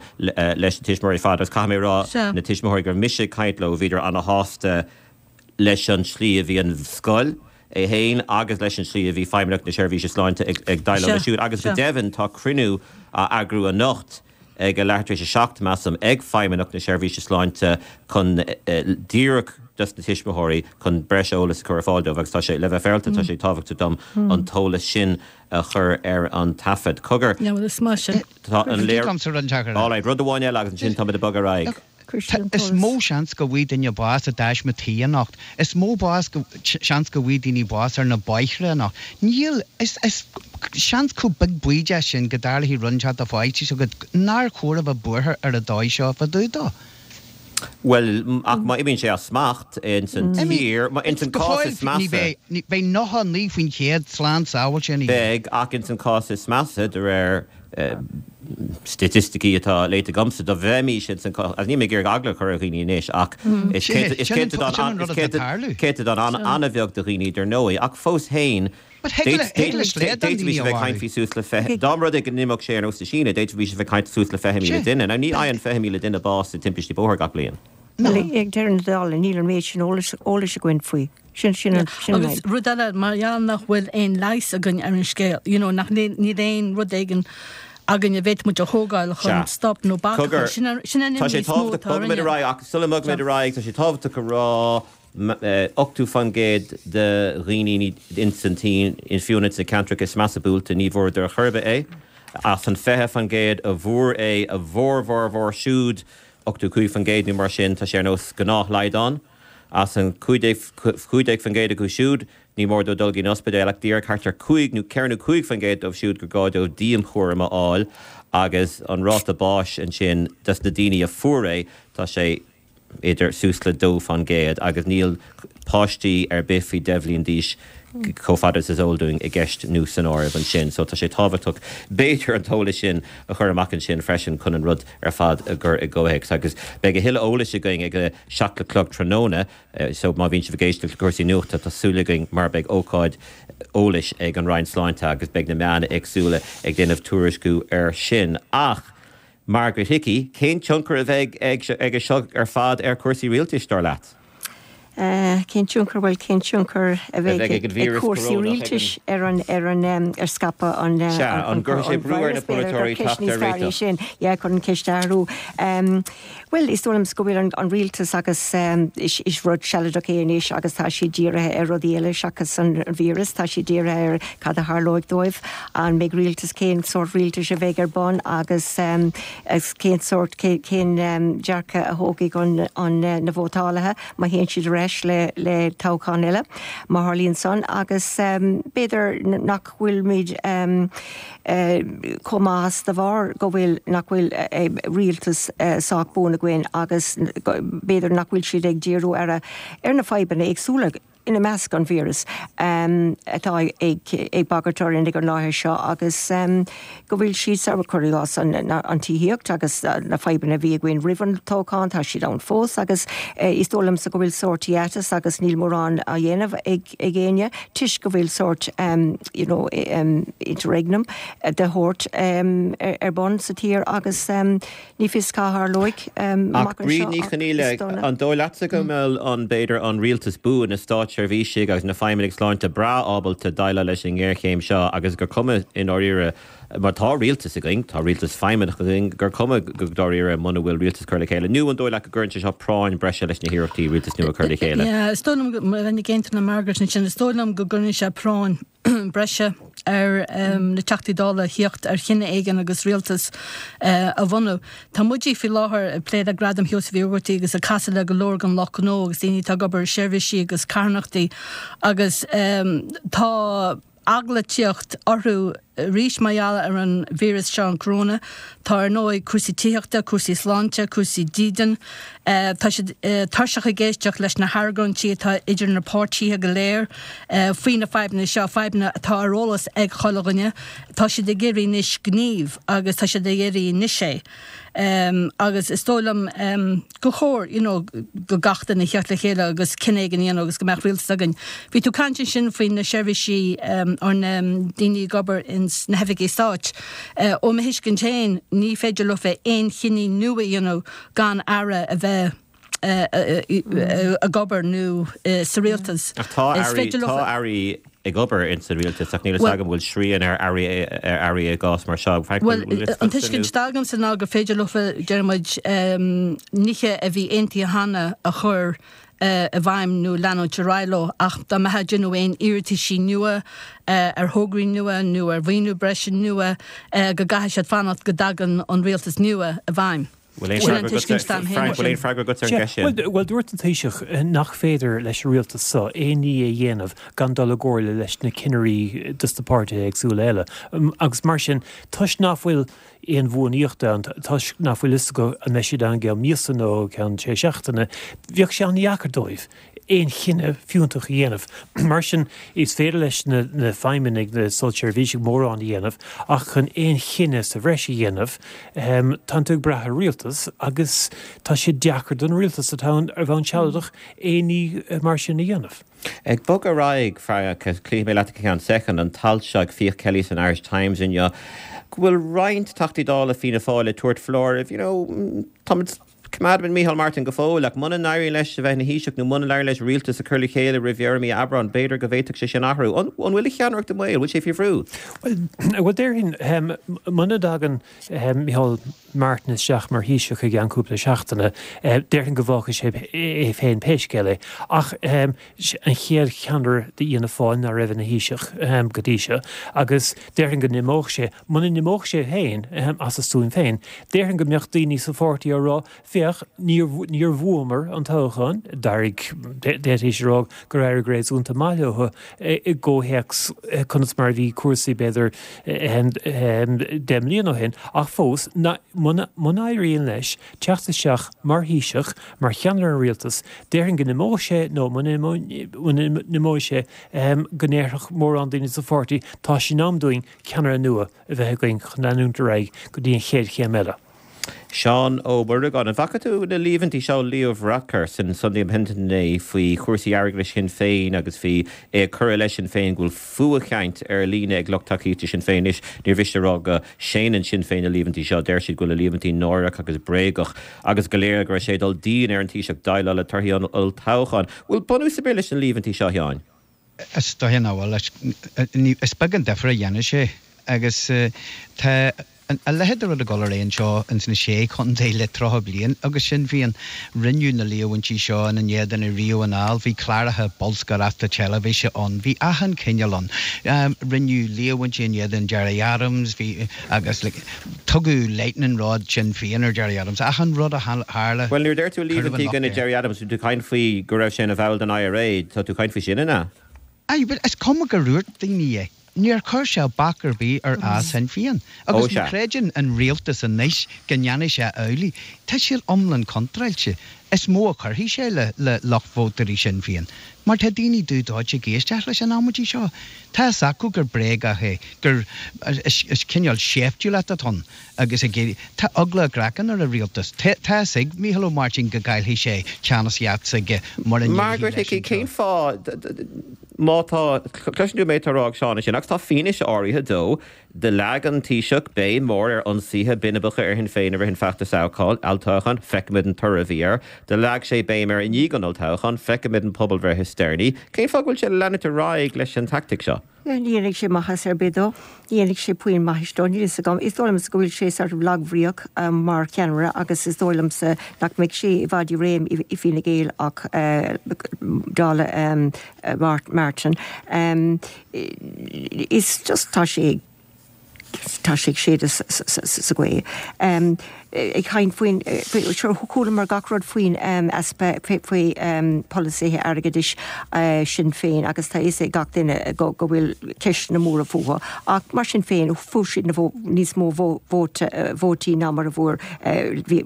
leis na tuismitheoirí ar fad agus caithfidh mé a rá, na tuismitheoirí go raibh mise ag caint leo, bhíodar ana-shásta leis an tslí a bhí an scoil é féin agus leis an tslí a bhí Feidhmeannacht na Seirbhíse Sláinte ag déileáil leis siúd agus go deimhin tá cruinniú á eagrú anocht ag a leathuair tar éis a 7, measaim, ag Feidhmeannacht na Seirbhíse Sláinte chun díreach dos na tuismitheoirí chun breis eolais a chur ar fáil dóibh agus tá sé, le bheith féaráilte, tá sé tábhachtach dom an t-eolas sin a chur ar an taifead. Cogar. Yeah, well, is maith sin. Tá an léir. All right, rud amháin eile agus ansin táimid ag bogadh ar aghaidh. Is mó seans go bhfaighidh duine bás i dtaisme tí anocht. Is mó bás go, seans go bhfaighidh daoine bás ar na bóithre anocht. Níl, is, is seans chomh beag baoideach sin go dtarlóidh rud inteacht do pháistí s'agat nár chóir a bheith buartha ar an dóigh seo fá dtaobh dó. Bhuel, ach má imíonn sé as smacht ins an tír, ins an cás is measa. Beidh 99% slán sábháilte ina dhiaidh. Beidh, ach ins an cás is measa, de réir staitisticí atá léite agamsa, dá bheimis ins an cás, agus níl mé ag iarraidh eagla a chur ar dhaoine anois, ach is céatadán an-bheag de dhaoine dar ndóigh, ach fós féin, D'fhéadfaimis a bheith ag caint faoi suas le 20, dá mba rud é go n-imeodh sé ar nós na Síne, d'fhéadfaimis a bheith ag caint suas le 20,000 duine. Now ní fhaigheann 20,000 duine bás i dtimpistí bóthair gach bliain. Ag deireadh na dála, níl an méid sin eolais againn faoi. Sin, sin an, sin an Agus rud eile, mar gheall nach bhfuil aon leigheas againn ar an scéal, you know, nach, níl aon rud éigin againn a bhféadfadh muid a thógáil chun stop nó bac a chur, sin an, sin an Tá imní sé is mó tábhachtach, atá bogfaimid orainne. ar aghaidh, ach sula mbogfaimid ar aghaidh, tá sé tábhachtach a rá, 80% de dhaoine ins an tSín, fiú ins na ceantracha is measa buailte, ní bhfuaireadar ar chor ar bith é. As an 20% a bhfuair é, a bhformhór siúd, 85% nó mar sin, tá sé ar nós gnáthshlaghdán. As an 15% acu siúd, ní mór dóibh dul go dtí an ospidéal ach díreach thart ar 5 nó 4 nó 5% dóibh siúd gur gá dóibh dianchúram a fháil agus an ráta báis ansin dos na daoine a fuair é, tá sé idir suas le 2% agus níl páistí ar bith faoi 10 bhliain d'aois. Chomh fada is is eol dúinn, i gceist nó san áireamh ansin. So tá sé tábhachtach, b'fhéidir, an t-eolas sin a chur amach ansin freisin chun an rud ar fad a chur i gcomhthéacs. Agus beidh a thuilleadh eolais againn ag a 7 a chlog tráthnóna, so má bhíonn sibh ag éisteacht le cúrsaí nuachta, tá súil againn mar beidh ócáid eolais ag an Roinn Sláinte agus beidh na meáin éagsúla ag déanamh tuairisciú air sin. Ach Margaret Hickey, cén tionchar a bheidh aige seo ar fad ar chúrsaí rialtais, dar leat? Cén tionchar, bhuel, cén tionchar a bheidh ag cúrsaí rialtais ar an, ar an, ar scaipeadh an, Sea, an gcuirfidh sé brú ar na polaiteoirí teacht ar réiteach? sin, yeah, chun an cheist a athrú. Bhuel, is dóigh liom go bhfuil an rialtas agus is rud sealadach é anois agus tá siad dírithe ar rudaí eile seachas an víreas, tá siad dírithe ar cad a tharlóidh dóibh, an mbeidh rialtas, cén sórt rialtais a bheidh ar bun agus cén sórt, cén dearcadh a thógfaidh an, na vótálaithe má théann siad ar ais le toghchán eile, má tharlaíonn san, agus b'fhéidir nach bhfuilimid chomh maith as de bharr go bhfuil, nach bhfuil rialtas sách buan againn agus b'fhéidir nach bhfuil siad ag díriú ar ar na fadhbanna éagsúla. ina measc an víreas atá ag bagairt orainn ag an láthair seo agus go bhfuil siad sa, cuir i gcás an tithíocht agus na fadhbanna a bhí againn roimh an toghchán, tá siad ann fós agus is dóigh liomsa go bhfuil sórt hiatus agus níl mórán á dhéanamh ag éinne toisc go bhfuil sórt you know interregnum de shórt ar bun sa tír agus Ní fios cá tharlóidh amach anseo ach Bríd Ní Chonghaile, an dóigh leatsa go mbeadh an, b'fhéidir, an rialtas buan, na státseirbhísigh agus na feidhmeannaigh sláinte breá ábalta déileáil leis an ngéarchéim seo agus gur cuma i ndáiríre, mar tá rialtas againn, tá rialtas feidhmeannach againn, gur cuma go dáiríre muna bhfuil rialtas curtha le chéile? Nó an dóigh leat go gcuireann sé seo práinn breise leis na hiarrachtaí rialtas nua a chur le chéile? Yeah, is dóigh liom go, bheinn ag aontú le Margaret ansin, is dóigh liom go gcuireann sé práinn breise ar na Teachtaí Dála theacht ar chinneadh éigin agus rialtas a bhunú. Tá muide faoi láthair ag plé le Gradam Sheosaimh Uí Ógartaigh agus ag casadh le go leor den lucht gnó agus daoine atá ag obair i seirbhísí agus carthanachtaí agus tá eagla ag tíocht orthu arís mar gheall ar an víreas seo, an corona. Tá ar ndóigh cúrsaí tithíochta, cúrsaí sláinte, cúrsaí dídean. Tá siad tuirseach ag éisteacht leis na hargóintí atá idir na páirtithe go léir faoi na fadhbanna seo, fadhbanna atá ar eolas ag chuile dhuine. Tá siad ag iarraidh anois gníomh agus tá siad ag iarraidh anois é. Agus is dóigh liom gur chóir you know go gach duine theacht le chéile agus cinneadh éigin a dhéanamh agus go mbeadh rialtas againn. Bhí tú ag caint ansin faoi na seirbhísí or na daoine ag obair ins na hoifigí stáit. Ó mo thuiscint féin ní féidir leofa aon chinní nua a dhéanamh gan aire a bheith ag obair nó sa rialtas. Ach tá airí, tá airí ag obair ins an rialtas ach níl fhios agam an bhfuil srian ar airí, ar airí i gcás mar seo. Frank, bhfuil bhfuil fhios An tuiscint atá agamsa ná gur féidir leofa, deir muid, nithe a bhí aontaithe cheana a chur i bhfeidhm nó leanúint ar aghaidh leo ach dá mbeifeá ag déanamh aon iarrataisí nua ar thograí nua nó ar mhaoiniú breise nua go gcaithfidh siad fanacht go dtagann an rialtas nua i bhfeidhm. Bhfuil aon Sin an tuiscint atá agam féin Frank, bhfuil aon freagra agat ar an gceist sin? Bhuel, dúirt an Taoiseach nach féidir leis an rialtas seo aon ní a dhéanamh gan dul i gcomhairle leis na cinnirí dos na páirtithe éagsúla eile. Agus mar sin, toisc nach bhfuil aon bhuanaíocht ann, toisc nach bhfuil fhios acu an mbeidh siad ann i gceann míosa nó i gceann sé seachtaine, bheadh sé an-dheacair dóibh aon chinneadh fiúntach a dhéanamh. Mar sin, is féidir leis na feidhmeannaigh, na státseirbhísigh mórán a dhéanamh, ach chun aon chinneadh sa bhreis a dhéanamh, tánn tú ag brath ar rialtas agus tá sé deacair don rialtas atá ann ar bhonn sealadach aon ní mar sin a dhéanamh. Ag bogadh ar aghaidh, Frainc, cloífidh mé leat i gceann soicind, an t-alt seo ag Fiach Kelly san Irish Times inniu, go bhfuil roinnt Teachtaí Dála Fianna Fáil ag tabhairt foláirimh, you know, táimid, coimeádfaimid Micheál Martin go fóill, ach muna n-éiríonn leis a bheith ina Thaoiseach nó muna n-éiríonn leis rialtas a chur le chéile roimh dheireadh mí Aibreáin, b'fhéidir go bhféadfadh sé sin athrú. An bhfuil a cheannaireacht i mbaol? Bhfuil sé faoi bhrú? Bhuel, déarfainn, muna dtagann Micheál Martin isteach mar Thaoiseach i gceann cúpla seachtaine, déarfainn go bhfágfaidh sé é féin pé scéal é. Ach an chéad cheannaire d'Fhianna Fáil ná raibh ina Thaoiseach go dtí seo, agus déarfainn go n-imeodh sé, muna n-imeodh sé féin as a stuaim féin, déarfainn go mbeadh daoine sa pháirtí á rá, féach. Féach, níor, níor bhuamar an toghchán, d'éirigh, d'fhéadfaí a rá gur éirigh réasúnta maith leo i gcomhthéacs conas mar a bhí cúrsaí b'fhéidir 10 mbliana ó shin, ach fós, muna n-éiríonn leis teacht isteach mar Thaoiseach, mar cheannaire an rialtais, déarfainn go n-imeodh sé nó muna n-imeoidh sé go ndéarfadh mórán daoine sa pháirtí, tá sé in am dúinn ceannaire nua a bheith againn chun leanúint ar aghaidh go dtí an chéad chéim eile. Seán Ó Muireagáin, an bhfaca tú na líomhaintí seo ó Leo Varadkar san Sunday Independent inné faoi chúrsaí airgeadais Shinn Féin agus faoi é ag cur i leith Sinn Féin go bhfuil fuathchaint ar líne ag lucht tacaíochta Sinn Féin anois. Níor mhiste a rá go séanann Sinn Féin na líomhaintí seo. Deir siad go bhfuil na líomhaintí náireach agus bréagach agus go léir go raibh sé ag dul dian ar an Taoiseach déileáil le torthaí an olltoghcháin. Bhfuil bunús ar bith leis na líomhaintí seo, a Sheáin? Is dóiche nach bhfuil. Is beag an difear a dhéanfaidh sé agus tá a leithéid de rud ag dul ar aghaidh anseo ins na Sé Chontae le 30 bliain agus Sinn Féin. Rinneadh na líomhaintí seo ina n-éadan ariamh anall. Bhí cláracha bolscaireachta teilifíse ann. Bhí achan chineál ann. Rinneadh líomhaintí in éadan Gerry Adams, bhí agus like tugadh lightning rod Sinn Féin ar Gerry Adams. Achan rud a tharla, Bhuel, nuair a deir tú cuireadh an líomhaintí i locht gcoinne air. Gerry Adams, tá tú ag caint faoi go raibh sé ina bhall den IRA, tá tú ag caint faoi sin, an ea? Aye, bhuel, is cuma gur dhúirt daoine é. Níor chuir sé bac ar bith ar fhás Shinn Féin. Ó, Agus má sea. chreideann an rialtas anois go ndéanfaidh sé amhlaidh, tá siad iomlán contráilte. Is mó a chuirfidh sé le le lucht vótóirí Shinn Féin. Mar tá daoine dubh dóite ag éisteacht leis an amaidí seo. Tá fhios acu gur bréagach é, gur is cineál seiftiúlacht atá ann agus ag éirí. Tá eagla a gcraicinn ar an rialtas. Tá fhios ag Mícheál Ó Máirtín go gcaillfidh sé ceannasaíocht s'aige mura n-éireoidh Margaret leis Hickey, anseo. cén fáth, má tá, cloiseann tú an méid atá á rá ag Seán ansin, agus tá fianaise áirithe dó, do leag an Taoiseach béim mhór ar ionsaithe binibeacha ar Shinn Féin i rith an feachtais olltoghcháin, feicimid an toradh a bhí air. Do leag sé béim air i ndiaidh an olltoghcháin, feicimid an pobalbhreith is deireanaí. Cén fáth go bhfuil sé ag leanúint ar aghaidh leis an teaictic seo? Ní dhéanfaidh sé maitheas ar bith dó. Ní dhéanfaidh sé puinn maithis dó. Níl fhios agam. Is dóigh liomsa go bhfuil sé sort of lagbhríoch mar cheannaire agus is dóigh liomsa nach mbeidh sé i bhfad i réim i Fine Gael ach dála Martin. Is just tá sé tá sé ag séideadh sa ghaoth. Ag caint faoin, sure chualamar gach rud faoin easpa, faoi pholasaithe airgeadais Sinn Féin agus tá fhios ag gach duine go bhfuil ceisteanna móra fúthu ach mar sin féin fuair siad na níos mó vótaí ná mar a fuair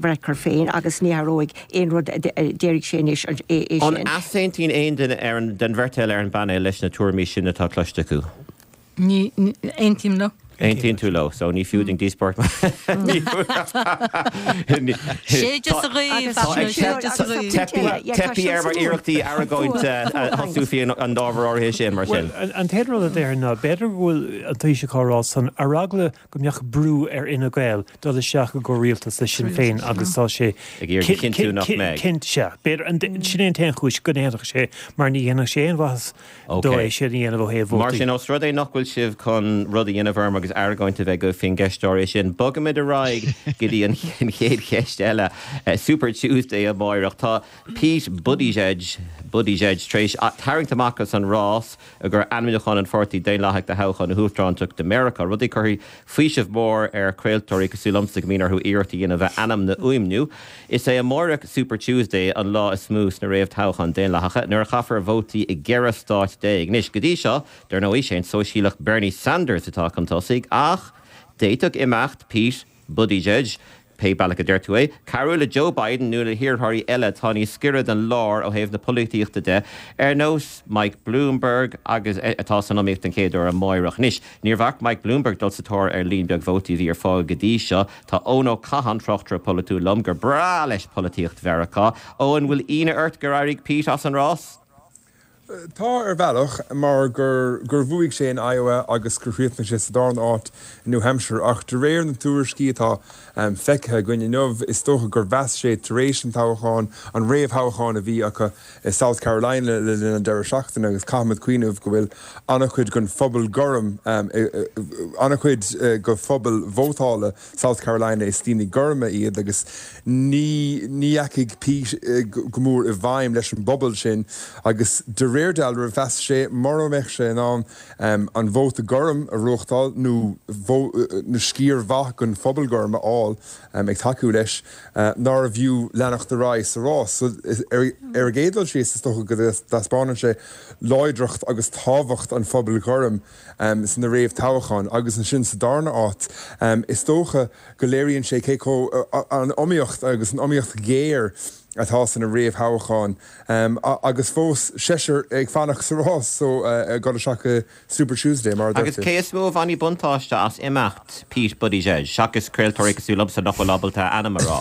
Varadkar féin agus ní athróidh aon rud a déarfaidh sé anois é An sin. easaontaíonn aon duine ar an, den bheirt eile ar an bpainéal leis na tuairimí sin atá cloiste acu? Ní aontaím leo. Aontaíonn tú leo, so ní fiú dúinn díospóireacht. Séideadh sa ghaoth, Fachtna, séideadh sa ghaoth. Teipthe ar ár n-iarrachtaí argóint a thosú faoi an ábhar áirithe sin, mar sin. Bhuel, an t-aon rud a déarfainn ná, b'fhéidir go bhfuil an Taoiseach á rá san ar eagla go mbeadh brú ar Fhine Gael dul isteach i gcomhrialtas le Sinn Féin agus tá sé Ag iarraidh a chinntiú nach mbeidh. Cinnte, sea. B'fhéidir, sin é an t-aon chúis go ndéanfadh sé, mar ní dhéanfadh sé aon mhaitheas dó é sin a dhéanamh ó thaobh Mar vótaí. sin, ós rud é nach bhfuil sibh chun rud a dhéanamh orm agus argóint a bheith agaibh faoin gceist áirithe sin, bogaimid ar aghaidh go dtí an chéad cheist eile. Super Tuesday amáireach. Tá Pete Buttigieg, Buttigieg tar éis tarraingt amach as an rás i gcomhair ainmniúchán an Pháirtí Daonlathaigh do thoghchán na huachtaránachta Meiriceá, rud a chuirfidh faoiseamh mór ar chraoltóirí cosúil liomsa go mbíonn orthu iarracht a dhéanamh a ainm a fhuaimniú. Is é amáireach, Super Tuesday, an lá is mó sna réamhthoghcháin Daonlathacha, nuair a chaithfear vótaí i gceithre stát déag. Anois, go dtí seo, dar ndóigh, sé an Sóisialach Bernie Sanders atá chun tosaigh, ach d'fhéadfadh imeacht Pete Buttigieg, pé bealach a deir tú é, cabhrú le Joe Biden nó le hiarrthóirí eile atá níos giorra don lár ó thaobh na polaitíochta de, ar nós Mike Bloomberg agus atá san iomaíocht den chéad uair amáireach. Anois, níor bhac Mike Bloomberg dul sa tóir ar líon beag vótaí a bhí ar fáil go dtí seo. Tá Eoin Ó Catháin, tráchtaire polaitiúil liom, gur breá leis polaitíocht Mheiriceá. Eoin, bhfuil ionadh ort gur éirigh Pete as an rás? Tá, ar bhealach, mar gur gur bhuaigh sé in Iowa agus gur chríochnaigh sé sa darna háit i New Hampshire. Ach de réir na tuairiscí atá feicthe againn inniu, is dócha gur mheas sé tar éis an toghcháin, an réamhthoghchán a bhí acu i South Carolina le linn an deireadh seachtaine, agus caithfimid cuimhneamh go bhfuil an-chuid den phobal gorm, an-chuid de phobal vótála South Carolina, is daoine gorma iad agus ní ní dheachaigh Pete go mór i bhfeidhm leis an bpobal sin agus de réir. réir dealraimh, mheas sé mura mbeadh sé in ann an vóta gorm a ghnóthachtáil nó nó sciar mhaith den phobal gorm a fháil ag tacú leis, nárbh fhiú leanacht ar aghaidh sa rás. So, ar an gcéad dul síos, is dócha go dtaispeánann sé láidreacht agus tábhacht an phobail ghoirm sna réamhthoghcháin agus ansin sa darna áit, is dócha go léiríonn sé cé chomh an iomaíocht agus an iomaíocht ghéar atá sna réamhthoghcháin agus fós seisear ag fanacht sa rás so ag dul isteach go Super Tuesday mar a dúirt Agus tú. cé is mó a bhainfidh buntáiste as imeacht Pete Buttigieg, seachas craoltóirí cosúil liomsa nach bhfuil ábalta a ainm a rá?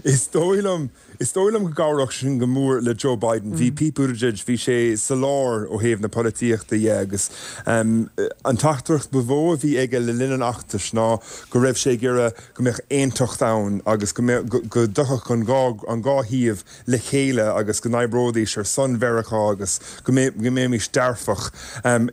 Is dóigh liom Is dóigh liom go gcabhródh sin go mór le Joe Biden. Bhí Pete Buttigieg, bhí sé sa lár ó thaobh na polaitíochta dhe agus an teachtaireacht ba mhó a bhí aige le linn an fheachtais ná go raibh sé ag iarraidh go mbeadh aontacht ann agus go mbeadh, go dtiocfadh an dhá, an dhá thaobh le chéile agus go n-oibreoidís ar son Mheiriceá agus go mbeimis dearfach.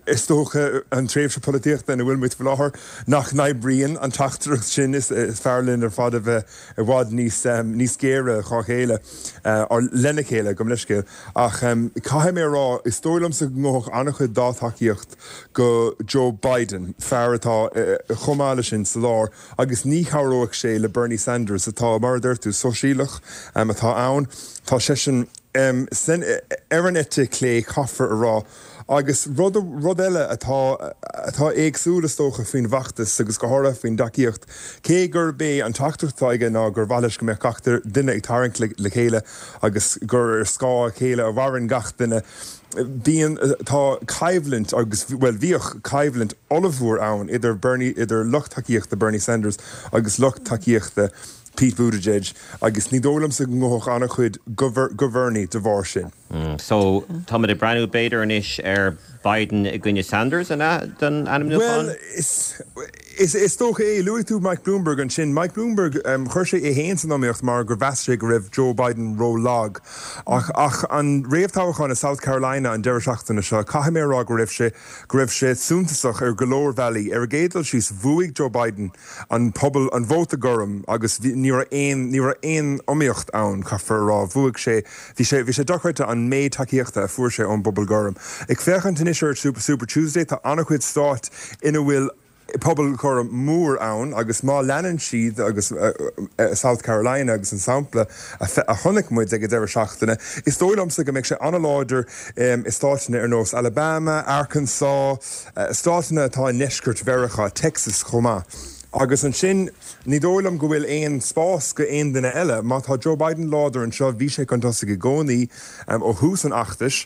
Is dócha an tréimhse polaitíochta ina bhfuil muid faoi láthair nach n-oibríonn an teachtaireacht sin, is fearr linn ar fad a bheith i bhfad níos níos géire dhá chéile, or lena chéile, gabh mo leithscéal. Ach caithfidh mé a rá, is dóigh liomsa go ngabhfadh an-chuid dá tacaíocht go Joe Biden, fear atá chomh maith leis sin sa lár, agus ní chabhróidh sé le Bernie Sanders atá, mar a deir tú, sóisialach atá ann. Tá seisean ar an eite chlé, caithfear a rá. Agus rud, rud eile atá, atá éagsúil is dócha faoin bhfeachtas agus go háirithe faoin dtacaíocht, cé gurb é an teachtaireacht atá aige ná gur mhaith leis go mbeadh gach duine ag tarraingt le, le chéile agus gur ar scáth a chéile a mhaireann gach duine, bíonn, tá coimhlint agus, bhuel bhíodh coimhlint ollmhór ann idir Bernie, idir lucht tacaíochta Bernie Sanders agus lucht tacaíochta Pete Buttigieg agus ní dóigh liomsa go ngabhfadh an-chuid go, go Bernie de bharr sin. So, táimid ag breathnú b'fhéidir anois ar Biden i gcoinne Sanders, an ea, don ainmniúchán? Bhuel, is, is dócha é. Luaigh tú Mike Bloomberg ansin. Mike Bloomberg, chuir sé é féin san iomaíocht mar gur mheas sé go raibh Joe Biden ró-lag. Ach, ach an réamhthoghchán i South Carolina an deireadh seachtaine seo, caithfidh mé a rá go raibh sé, go raibh sé suntasach ar go leor bealaí. Ar an gcéad dul síos, bhuaigh Joe Biden an pobal, an vóta gorm agus bhí, ní raibh aon, ní raibh aon iomaíocht ann, caithfear a rá. Bhuaigh sé, bhí sé, bhí sé dochreidte an méid tacaíochta a fuair sé ón bpobal gorm. Ag féachaint anois ar Super Tuesday, tá an-chuid stáit ina bhfuil pobal gorm mór ann agus má leanann siad, agus South Carolina agus an sampla a chonaic muid ag an deireadh seachtaine, is dóigh liomsa go mbeidh sé an-láidir i stáiteanna ar nós Alabama, Arkansas, Stáiteanna atá i ndeisceart Mheiriceá, Texas chomh maith. Agus ansin, ní dóigh liom go bhfuil aon spás go aon duine eile. Má tá Joe Biden láidir anseo, bhí sé chun tosaigh i gcónaí ó thús an fheachtais,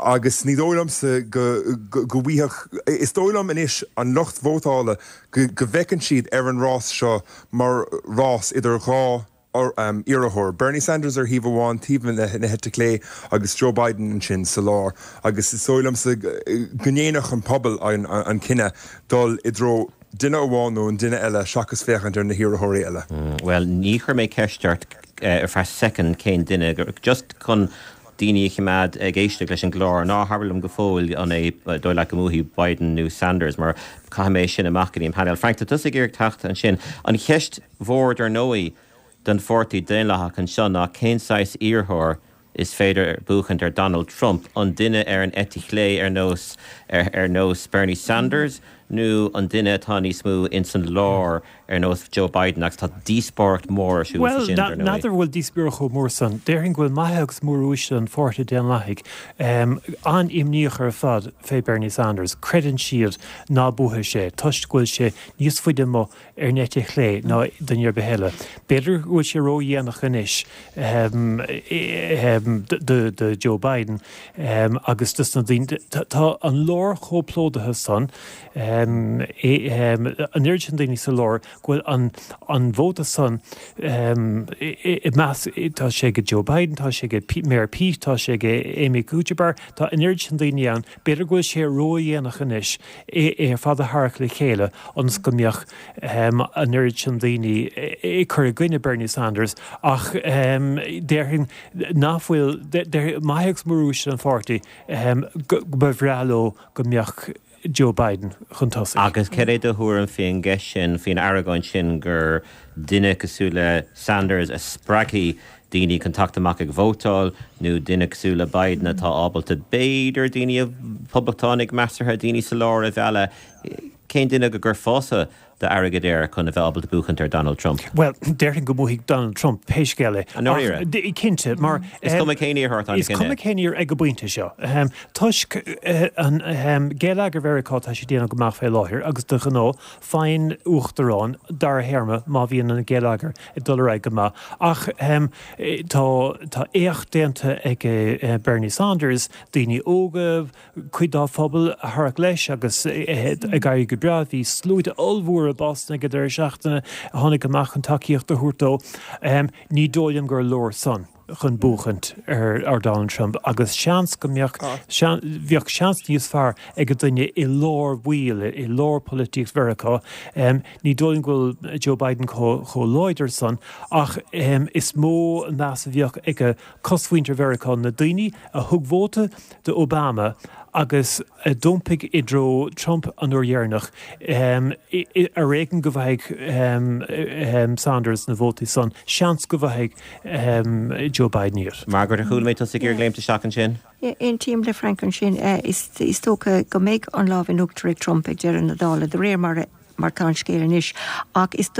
agus ní dóigh liomsa go bhfaighfeadh, is dóigh liom anois an lucht vótála go bhfeiceann siad ar an rás seo mar rás idir dhá iarrthóir, Bernie Sanders ar thaobh amháin, taobh na heite clé, agus Joe Biden ansin sa lár. Agus is dóigh liomsa go ndéanfadh an pobal an cinneadh dul i dtreo duine amháin nó an duine eile seachas féachaint ar na hiarrthóirí eile. Bhuel, ní chuir mé ceist ort ar feadh soicind cén duine, just chun daoine a choimeád ag éisteacht leis an gclár. Ná habair liom go fóill an é dóigh leat go mbuafaidh Biden nó Sanders mar caithfidh mé sin amach go dtí an painéal. Frank, tá tusa ag iarraidh teacht ansin. An cheist mhór dar ndóigh don Pháirtí Daonlathach anseo ná cén saghas iarrthóir is féidir buachaint ar Donald Trump, an duine ar an eite chlé ar nós ar nós Bernie Sanders nó an duine atá níos mó ins an lár ar nós Joe Biden agus tá díospóireacht mhór ar siúl faoi Bhuel, sin, dar ndóigh. n'fheadar an bhfuil díospóireacht chomh mór san. Déarfainn go bhfuil maithe agus móruaisle an Pháirtí Daonlathaigh an-imníoch ar fad fé Bernie Sanders. Creideann siad ná buafaidh sé toisc go bhfuil sé níos faide amuigh ar an eite chlé ná duine ar bith eile. B'fhéidir go bhfuil sé ródhéanach anois do Joe Biden agus dos na daoine. Tá an lár chomh plódaithe san, an oiread sin daoine sa lár, go bhfuil an vóta san i measc, tá sé ag Joe Biden, tá sé ag Mayor Pete, tá sé ag Amy Klobuchar, tá an oiread sin daoine ann. B'fhéidir go bhfuil sé ródhéanach anois é ar fad a tharrac le chéile ionas go mbeadh an oiread sin daoine ag cur i gcoinne Bernie Sanders ach déarfainn nach bhfuil, maithe agus móruaisle an pháirtí, go mba bhreá leo go mbeadh Joe Biden chun tosaigh. Agus cad é do thuairim faoin gceist sin, faoin argóint sin gur duine cosúil le Sanders a spreagfaidh. daoine chun teacht amach ag vótáil nó duine cosúil le Biden atá ábalta b'fhéidir daoine, poblachtánaigh measartha, daoine sa lár a mhealladh? Cén duine go gcuirfeása d'airgead air chun a bheith ábalta buachaint ar Donald Trump? Bhuel, déarfainn go mbuafaidh Donald Trump pé scéal é. I ndáiríre? Cinnte, mar. Is cuma cén iarrthóir atá ina Is cuma cén iarrthóir ag an bpointe seo. Toisc an geilleagar Mheiriceá tá sé ag déanamh go maith fé láthair agus de ghnáth faigheann uachtarán dara théarma má bhíonn an geilleagar ag dul ar aghaidh go maith. Ach tá tá éacht déanta ag Bernie Sanders, daoine óga, cuid dá phobal a tharrac leis agus ag éirí go breá. Bhí sluaite ollmhóra i Boston ag an deireadh seachtaine a tháinig amach chun tacaíocht a thabhairt dó. Ní dóigh liom gur leor san chun buachaint ar Donald Trump agus seans go mbeadh, bheadh seans níos fearr ag an duine i lár baill, i lár polaitíocht Mheiriceá. Ní dóigh liom go bhfuil Joe Biden chomh láidir san ach is mó an meas a bheadh ag cosmhuintir Mheiriceá, na daoine a thug vóta do Obama agus a d'iompaigh i dtreo Trump an uair dheireanach, ar éigean go bhfaighidh Sanders na vótaí san, seans go bhfaighidh Joe Biden iad. Margaret, ar chuala mé tusa ag iarraidh léimt isteach ansin? Yeah, aontaím le Frank ansin. Is dócha go mbeidh an lámh in uachtar ag Trump ag deireadh na dála, de réir mar a. mar tá an scéal anois. Ach is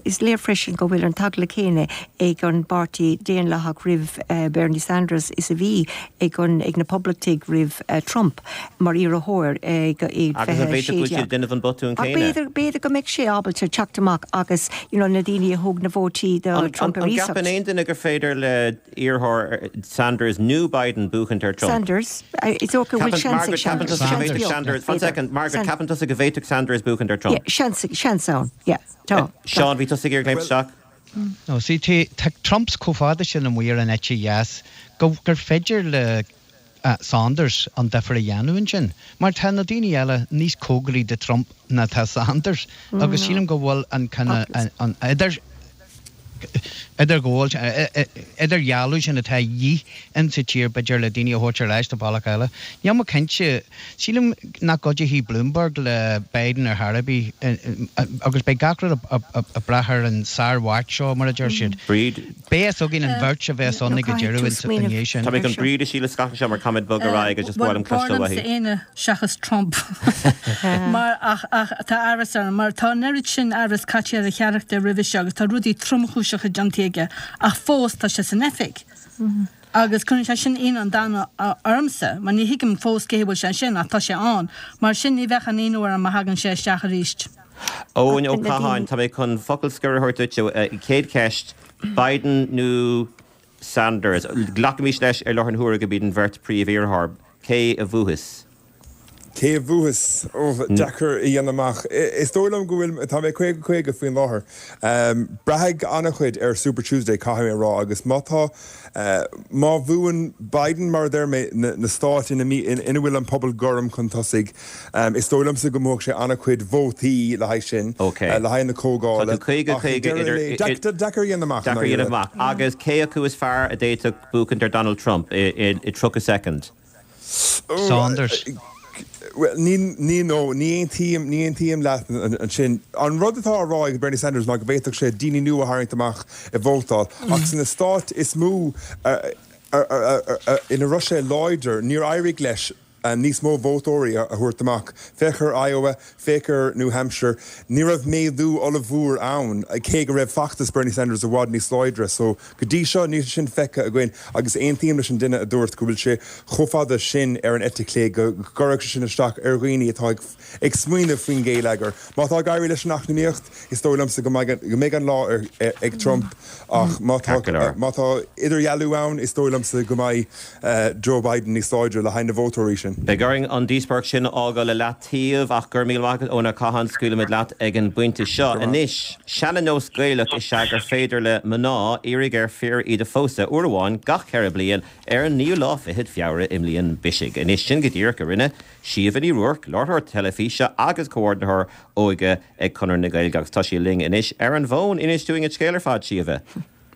is léir freisin go bhfuil an t-eagla céanna ag an bPáirtí Daonlathach roimh Bernie Sanders is a bhí ag an ag na Poblachtaigh roimh Trump mar iarrthóir i Agus an bhféadfadh go bhfuil siad ag déanamh an botún Ach céanna? b'fhéidir b'fhéidir go mbeidh sé ábalta teacht amach agus you know na daoine a thug na vótaí do An Trump ar an iasacht. gceapann aon duine gur féidir le iarrthóir Sanders nó Biden buachaint ar Trump? Sanders. Is dócha go bhfuil seans ag Margaret, ceapann Sanders. tusa go bhféadfadh Sanders, one second, Margaret, ceapann tusa go bhféadfadh Sanders buachaint ar Trump? Yeah, seans, seans ann, yeah, tá. Seán, bhí tusa ag iarraidh léimt isteach? No, see, tá Trump chomh fada sin amuigh ar an eite dheas go gur féidir le Sanders an difear a dhéanamh ansin. Mar tá na daoine eile níos cóngaraí do Trump ná tá Sanders agus sílim go bhfuil an an idir idirghabháil, idirdhealú sin atá a dhíth in sa tír, b'fhéidir, le daoine a thabhairt ar ais do bhealach eile. Níl mé cinnte. Sílim nach gcuideoidh Bloomberg le Biden ar chor ar bith agus beidh gach rud ag brath ar an sár-Mháirt seo, mar a deir siad. Bríd. Beidh a fhios againn an bheirt a bheas ann ag an deireadh ina dhiaidh sin. Tá mé chun Bríd a Shíle scaipeadh seo mar caithfimid bogadh ar aghaidh agus just ba mhaith liom cloisteáil uaithi. B'fhearr liomsa éinne seachas Trump mar ach ach tá amhras orm mar tá an oiread sin amhras caite ar a charachtar roimhe seo agus tá rudaí tromchúiseacha déanta aige ach fós tá sé san oifig agus cuireann sé sin ionadh an domhain ormsa mar ní thuigim fós cé bhfuil sé ansin ach tá sé ann mar sin ní bheadh aon ionadh orm má thagann sé isteach arís. Eoin Ó Catháin, tá mé chun focal scoir a thabhairt duit. Chéad cheist, Biden nó Sanders? Glacaimis leis ar láthair na huaire go b'iad an bheirt príomh-iarrthóir. Cé a bhuafas? Cé a bhuafas? Ó, deacair a dhéanamh amach. Is dóigh liom go bhfuil, tá mé 50, 50 faoin láthair. Braithfidh an-chuid ar Super Tuesday, caithfidh mé a rá, agus má tá, má bhuann Biden, mar a deir mé, na stáit ina ina bhfuil an pobal gorm chun tosaigh, is dóigh liomsa go mbuafadh sé an-chuid vótaí le haghaidh sin, le haghaidh na comhdhála. Tá tú 50, 50 idir, deacair a dhéanamh amach. Deacair a dhéanamh amach. Agus cé acu is fearr a d'fhéadfadh buachaint ar Donald Trump i 30 soicind? Sanders. Bhuel, ní, ní, no, ní aontaím, ní aontaím leat ansin. An rud atá á rá ag Bernie Sanders ná go bhféadfadh sé daoine nua a tharraingt amach ag vótáil, ach sna stáit is mó ina raibh sé láidir, níor éirigh leis níos mó vótóirí a thabhairt amach. Féach ar Iowa, féach ar New Hampshire, ní raibh méadú ollmhór ann, cé go raibh feachtas Bernie Sanders i bhfad níos láidre. So, Go dtí seo, níl sé sin feicthe againn agus aontaím leis an duine a dúirt go bhfuil sé chomh fada sin ar an eite chlé go gcuirfeadh sé sin isteach ar dhaoine atá ag smaoineamh faoin ghéilleagar. Má tá ag éirí leis an eacnamaíocht, is dóigh liomsa go mbeidh an lá ag Trump ach má tá má tá idirdhealú ann, is dóigh liomsa go mbeidh Joe Biden níos láidre le haghaidh na vótóirí sin. Beidh orainn an díospóireacht sin a fhágáil i leataobh ach go raibh míle maith agat, Eoin Ó Catháin, scaoilfimid leat ag an bpointe seo. Anois, seana-nós Gaelach is ea gur féidir le mná iarraidh ar fir iad a phósadh uair amháin gach cheithre bliain ar an naoú lá fichead Feabhra i mbliain bisigh. Anois, sin go díreach a rinne Síomha Ní Ruairc, láithreoir teilifíse agus comhordaitheoir óige ag Conradh na Gaeilge agus tá sí linn anois ar an bhfón. Inis dúinn an scéal ar fad, Síomha.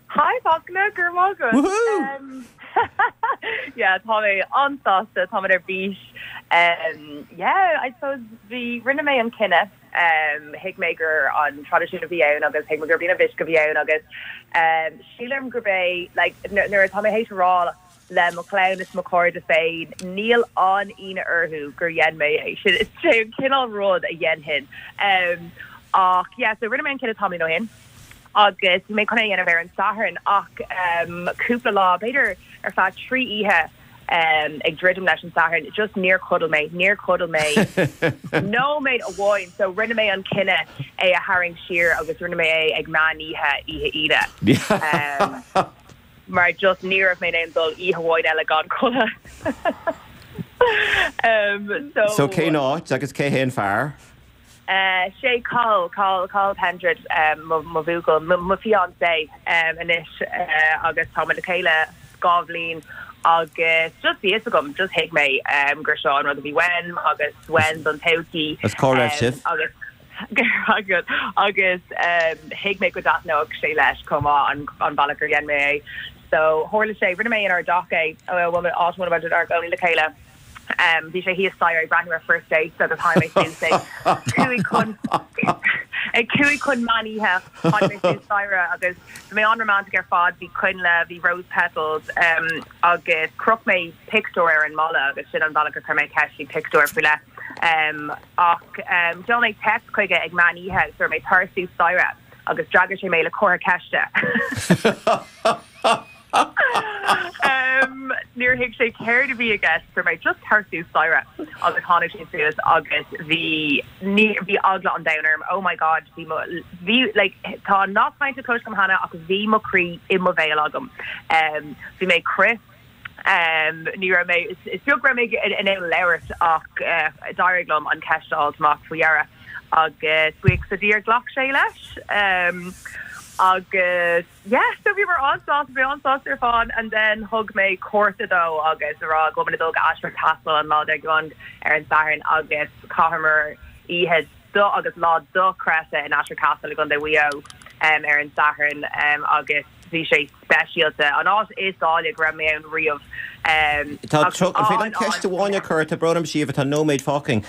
Hi Fachtna, go raibh maith agat. Woohoo! Yeah, tá mé an-sásta, tá mé ar bís. Um, yeah, I suppose bhí, rinne mé an cinneadh, um, thuig mé gur an traidisiún a bhí ann agus thuig mé gurb í an mhisc a bhí ann agus um, sílim gurb é, like, nuair atá mé théis a rá le mo chlann is mo chairde féin, níl an ionadh orthu gur dhein mé é. Sin is é an cineál rud a dhéanfainn. Um, ach yeah, so rinne mé an cinneadh tamaillín ó shin. agus bhí mé chun é a dhéanamh ar an Satharn ach cúpla lá, b'fhéidir ar feadh 3 oíche ag druidim leis an Satharn, just níor chodail mé, níor chodail mé nóiméad amháin so rinne mé an cinneadh é a tharraingt siar agus rinne mé é ag meán oíche, oíche Aoine. Mar just ní raibh mé in ann dul oíche amháin eile gan codladh. So. So cén áit agus cé hé an fear? Sé Cathal, Cathal, Cathal Pendred mo bhuachaill, mo fiancé anois agus táimid le chéile 2 bhliain agus just bhí fhios agam, just thuig mé gur seo an rud a bhí uaim agus uaim don todhchaí. Agus cá raibh sibh? Agus agus thuig mé go dtaitneodh sé leis chomh maith an bealach ar dhein mé é. So tharla sé, rinne mé inár dteach é, bhuel áit a bhfuil muid inár gcónaí le chéile. Bhí sé thíos staighre ag breathnú ar First Dates agus tháinig mé suas ag cúig chun ag cúig chun meán oíche tháinig mé suas staighre agus bhí mé an-romantic ar fad, bhí coinnle, bhí rose petals agus chroch mé pictiúr ar an mballa agus sin an bealach a chuir mé ceist, bhí pictiúr faoi leith ach sheol mé text chuige ag meán oíche agus dúirt mé tar suas staighre agus d'fhreagair sé mé le comhartha ceiste. Níor thuig sé céard a bhí i gceist, dúirt mé just tar suas staighre agus tháinig sé suas agus bhí, ní, bhí eagla an domhain orm, oh my god, bhí mo, bhí, like, tá an nath cainte cloiste agam cheana ach bhí mo chroí i mo bhéal agam. Bhí mé ag crith, ní raibh mé, is beag go raibh mé in ann labhairt ach d'éirigh liom an cheist a fháilt amach faoi dheireadh agus buíochas le Dia ghlac sé leis agus. Yeah, so bhíomar an-sásta, bhí an-sásta ar fad and then thug mé cárta dó agus a rá go bhfuil muid ag dul go Ashford Castle an lá dár gcionn ar an Satharn agus chaitheamar oíche do agus lá dochreidte in Ashford Castle i gContae Mhaigh Eo um, ar an Satharn um, agus bhí sé speisialta, an áit is áille go raibh mé ann riamh. Um, Tá agus an féidir liom ceist amháin a chur, tá brón orm Síomha, tá nóiméad fágtha againn.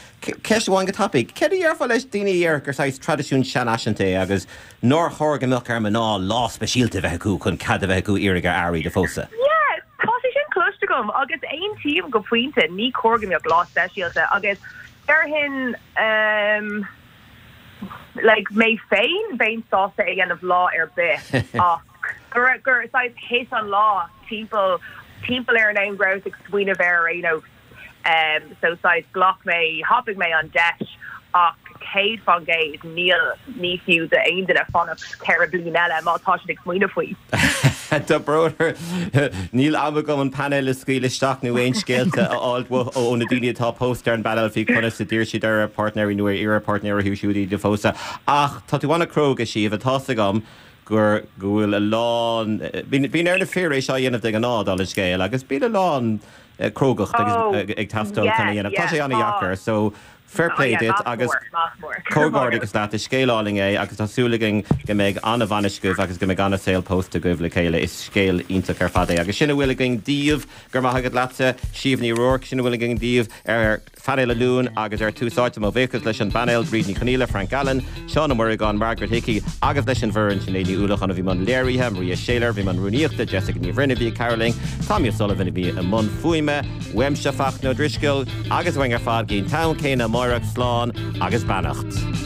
Ceist amháin go tapaidh. Céard a dhéarfá leis daoine a déarfadh gur saghas traidisiún seanfhaiseanta é agus nár chóir go mbeadh ar mná lá speisialta a bheith acu chun cead a bheith acu iarraidh ar fhear iad a phósadh? Yeah, tá sé sin cloiste agam agus aontaím go pointe, ní cóir go mbeadh lá speisialta agus déarfainn ehm like mé féin bheinn sásta é a dhéanamh lá ar bith ach gur gur saghas thit an lá timpeall timpeall ar an am go rabhas ag smaoineamh air ar aon nós. So saghas ghlac mé, thapaigh mé an deis ach 100% níl, ní fiú d'aon duine fanacht 4 bliain eile má tá siad ag smaoineamh faoi. Tá brón orm, níl am agam an painéal a scaoileadh isteach nó aon scéalta a fháil ó na daoine atá pósta ar an bpainéal faoi conas a d'iarr siad ar a bpáirtnéirí nó ar iarr a bpáirtnéir orthu siúd iad a phósadh. Ach tá tú an-chróga, Síomha, tá's agam gur, go bhfuil a lán, bíonn ar na fir é seo a dhéanamh de ghnáth, dála an scéil, agus bíonn a lán crógacht ag teastáil chun é a dhéanamh. Tá sé an-dheacair, so fair play duit agus comhghairdeachas leat, is scéal álainn é agus tá súil againn go mbeidh an-bhainis agaibh agus go mbeidh an-saol pósta agaibh le chéile. Is scéal iontach ar fad é. Agus sin a bhfuil againn daoibh, go raibh maith agat leatsa, Síomha Ní Ruairc, sin a bhfuil againn daoibh ar Phainéal an Luain agus ar Tús Áite, mo bhuíochas leis an bpainéal, Bríd Ní Chonghaile, Frank Allen, Seán Ó Muireagáin, Margaret Hickey agus leis an bhfoireann, Sinéad Ní Uallacháin a bhí i mbun léirithe, Maria Shayler a bhí i mbun rúnaíochta, Jessica Ní Bhroin a bhí ag cabhrú linn, Tommy O'Sullivan a bhí i mbun fuaime, uaimse Fachtna Ó Drisceoil agus uainn ar fad go dtí an t-am céanna amáireach, slán agus beannacht.